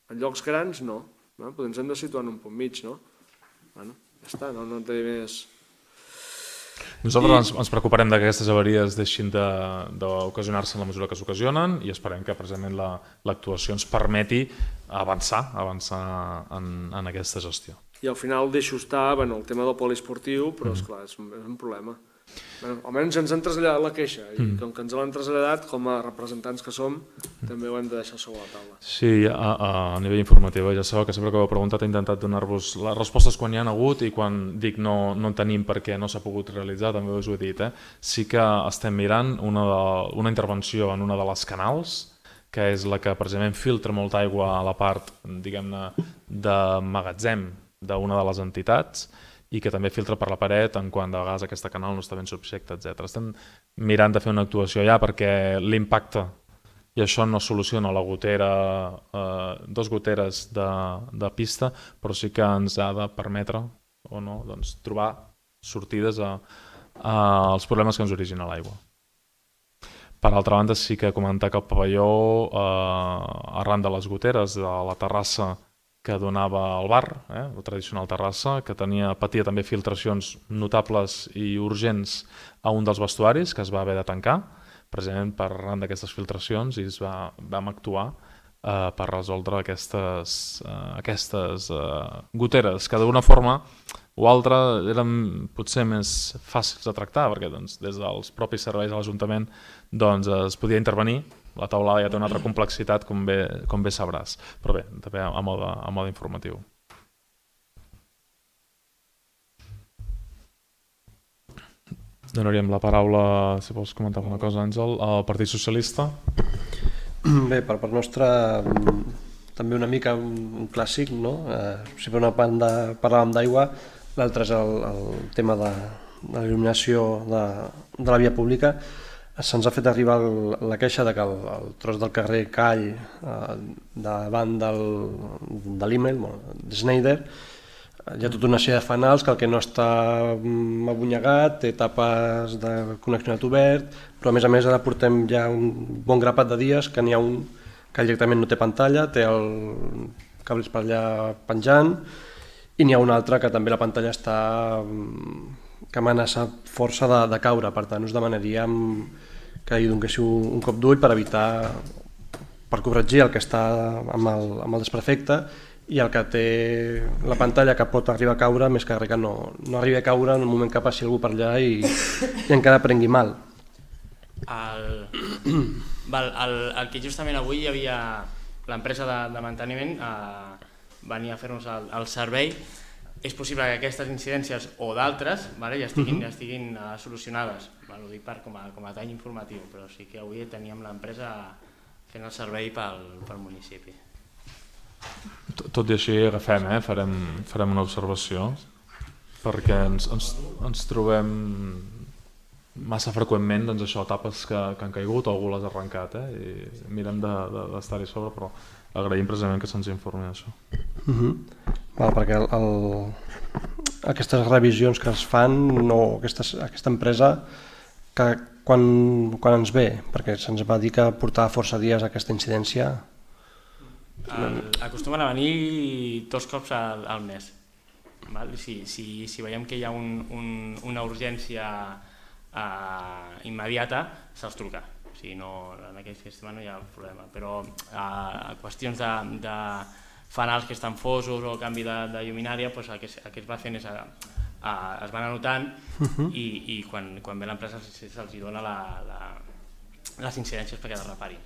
En llocs grans, no. Potser ens hem de situar en un punt mig, no? Bueno, ja està, no té més... Nosaltres ens preocuparem que aquestes avaries deixin d'ocasionar-se en la mesura que s'ocasionen i esperem que precisament l'actuació ens permeti avançar en aquesta gestió. I al final deixo estar el tema del poliesportiu, però esclar, és un problema. Almenys ens han traslladat la queixa i com que ens l'han traslladat, com a representants que som, també ho hem de deixar sobre la taula. Sí, a nivell informatiu, ja sabeu que sempre que ho he preguntat he intentat donar-vos les respostes quan hi ha hagut i quan dic no en tenim perquè no s'ha pogut realitzar, també us ho he dit. Sí que estem mirant una intervenció en una de les canals, que és la que precisament filtra molta aigua a la part, diguem-ne, de magatzem d'una de les entitats i que també filtra per la paret en quant de vegades aquesta canal no està ben subjecta, etc. Estem mirant de fer una actuació allà perquè l'impacte, i això no soluciona la gotera, 2 goteres de pista, però sí que ens ha de permetre o no, trobar sortides als problemes que ens origina l'aigua. Per altra banda, sí que comentar que el pavelló, arran de les goteres de la terrassa que donava al bar, la tradicional terrassa, que patia també filtracions notables i urgents a un dels vestuaris, que es va haver de tancar, precisament per arran d'aquestes filtracions, i vam actuar per resoldre aquestes goteres, que d'una forma o altra eren potser més fàcils de tractar, perquè des dels propis serveis de l'Ajuntament es podia intervenir. La taulada ja té una altra complexitat, com bé sabràs, però bé, també a mode informatiu. Donaríem la paraula, si vols comentar alguna cosa, Àngel, al Partit Socialista. Bé, per part nostra, també una mica un clàssic, no? Si per una banda parlàvem d'aigua, l'altre és el tema de l'il·luminació de la via pública. Se'ns ha fet arribar la queixa que el tros del carrer Call davant de l'Immel, de Schneider, hi ha tota una sèrie de fanals que el que no està abonyegat, té tapes de conneccionat obert, però a més ara portem ja un bon grapat de dies que n'hi ha un que directament no té pantalla, té el cables per allà penjant, i n'hi ha un altre que també la pantalla està que amenaça força de caure. Per tant, us demanaríem que hi donéssiu un cop d'ull per corregir el que està amb el desperfecte i el que té la pantalla que pot arribar a caure, més que res que no arribi a caure en el moment que passi algú per allà i encara prengui mal. El que justament avui hi havia l'empresa de manteniment venia a fer-nos el servei. És possible que aquestes incidències o d'altres ja estiguin solucionades. Ho dic com a tall informatiu, però sí que avui teníem l'empresa fent el servei pel municipi. Tot i així agafem, farem una observació, perquè ens trobem massa freqüentment doncs això, tapes que han caigut o algú les ha arrencat, i mirem d'estar-hi sobre, però agraïm precisament que se'ns informi d'això. Perquè aquestes revisions que es fan, aquesta empresa, quan ens ve? Perquè se'ns va dir que portava força dies aquesta incidència. Acostumen a venir 2 cops al mes. Si veiem que hi ha una urgència immediata, se'ls truca. En aquest sistema no hi ha problema, però a qüestions de fanals que estan fosos o canvi de lluminària, el que es va fent és es van anotant i quan ve l'empresa se'ls dona les incidències perquè es reparin.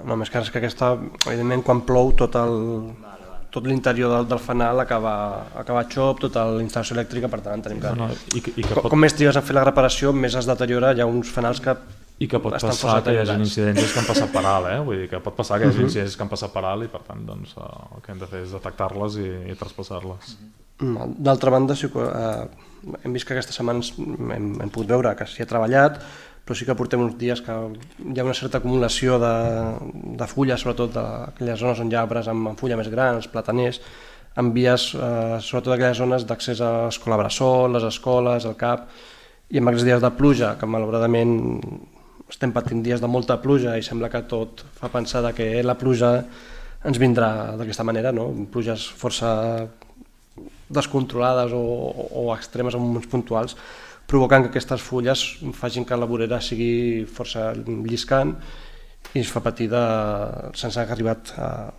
Només que és que aquesta, evidentment, quan plou tot l'interior del fanal acaba xop, tota la instal·lació elèctrica, per tant tenim que... Com més trigues a fer la reparació, més es deteriora, hi ha uns fanals que... I que pot passar que hi hagi incidències que han passat per alt, vull dir que pot passar que hi hagi incidències que han passat per alt i per tant el que hem de fer és detectar-les i traspassar-les. D'altra banda, hem vist que aquestes setmanes hem pogut veure que s'hi ha treballat, però sí que portem uns dies que hi ha una certa acumulació de fulles, sobretot d'aquelles zones on hi ha arbres amb fulla més gran, els plataners, en vies, sobretot aquelles zones d'accés a l'escola bressol, les escoles, el CAP, i amb aquests dies de pluja, que malauradament estem patint dies de molta pluja i sembla que tot fa pensar que la pluja ens vindrà d'aquesta manera, pluges força descontrolades o extremes en moments puntuals, provocant que aquestes fulles facin que la vorera sigui força lliscant i es fa patir sense haver arribat a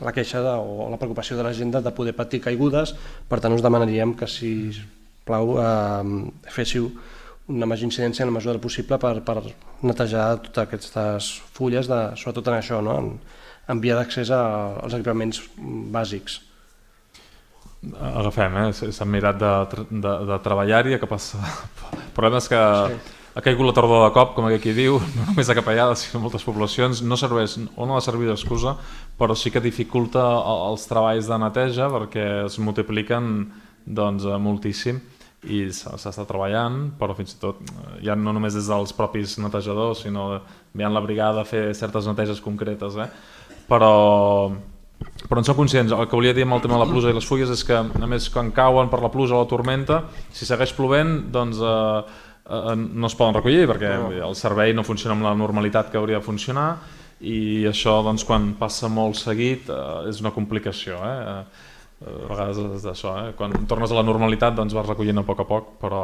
la queixa o la preocupació de la gent de poder patir caigudes. Per tant, us demanaríem que, si us plau, féssiu una major incidència en la mesura del possible per netejar totes aquestes fulles, sobretot en això, en via d'accés als equipaments bàsics. Agafem, s'han mirat de treballar-hi, que passa... El problema és que ha caigut la tardor de cop, com aquí diu, no només a Capellada, sinó a moltes poblacions, no serveix o no ha servit d'excusa, però sí que dificulta els treballs de neteja perquè es multipliquen moltíssim i s'està treballant, però fins i tot ja no només des dels propis netejadors, sinó enviant la brigada a fer certes neteges concretes, però en som conscients. El que volia dir amb el tema de la pluja i les fulles és que, a més, quan cauen per la pluja o la tormenta, si segueix plovent, doncs no es poden recollir perquè el servei no funciona amb la normalitat que hauria de funcionar i això, quan passa molt seguit, és una complicació. A vegades és d'això, quan tornes a la normalitat vas recollint a poc, però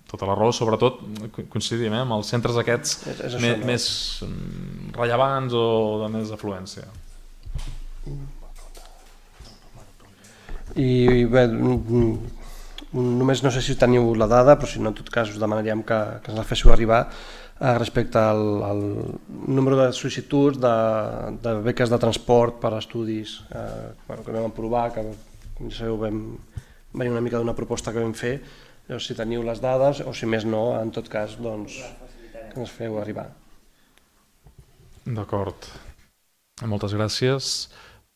tota la raó, sobretot coincidim amb els centres aquests més rellevants o de més afluència. I bé, només no sé si teniu la dada, però si no, en tot cas us demanaríem que ens la féssiu arribar respecte al número de sol·licituds de beques de transport per a estudis que vam aprovar, que com ja sabeu vam venir una mica d'una proposta que vam fer. Si teniu les dades o, si més no, en tot cas, que ens feu arribar. D'acord. Moltes gràcies.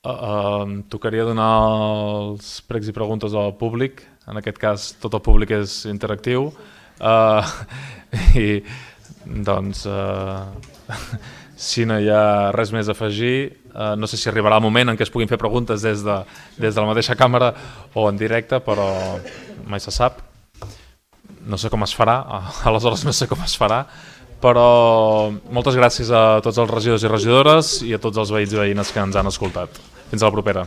Tocaria donar els pregs i preguntes al públic. En aquest cas, tot el públic és interactiu. I, doncs, si no hi ha res més a afegir, no sé si arribarà el moment en què es puguin fer preguntes des de la mateixa càmera o en directe, però mai se sap. No sé com es farà, aleshores no sé com es farà, però moltes gràcies a tots els regidors i regidores i a tots els veïns i veïnes que ens han escoltat. Fins a la propera.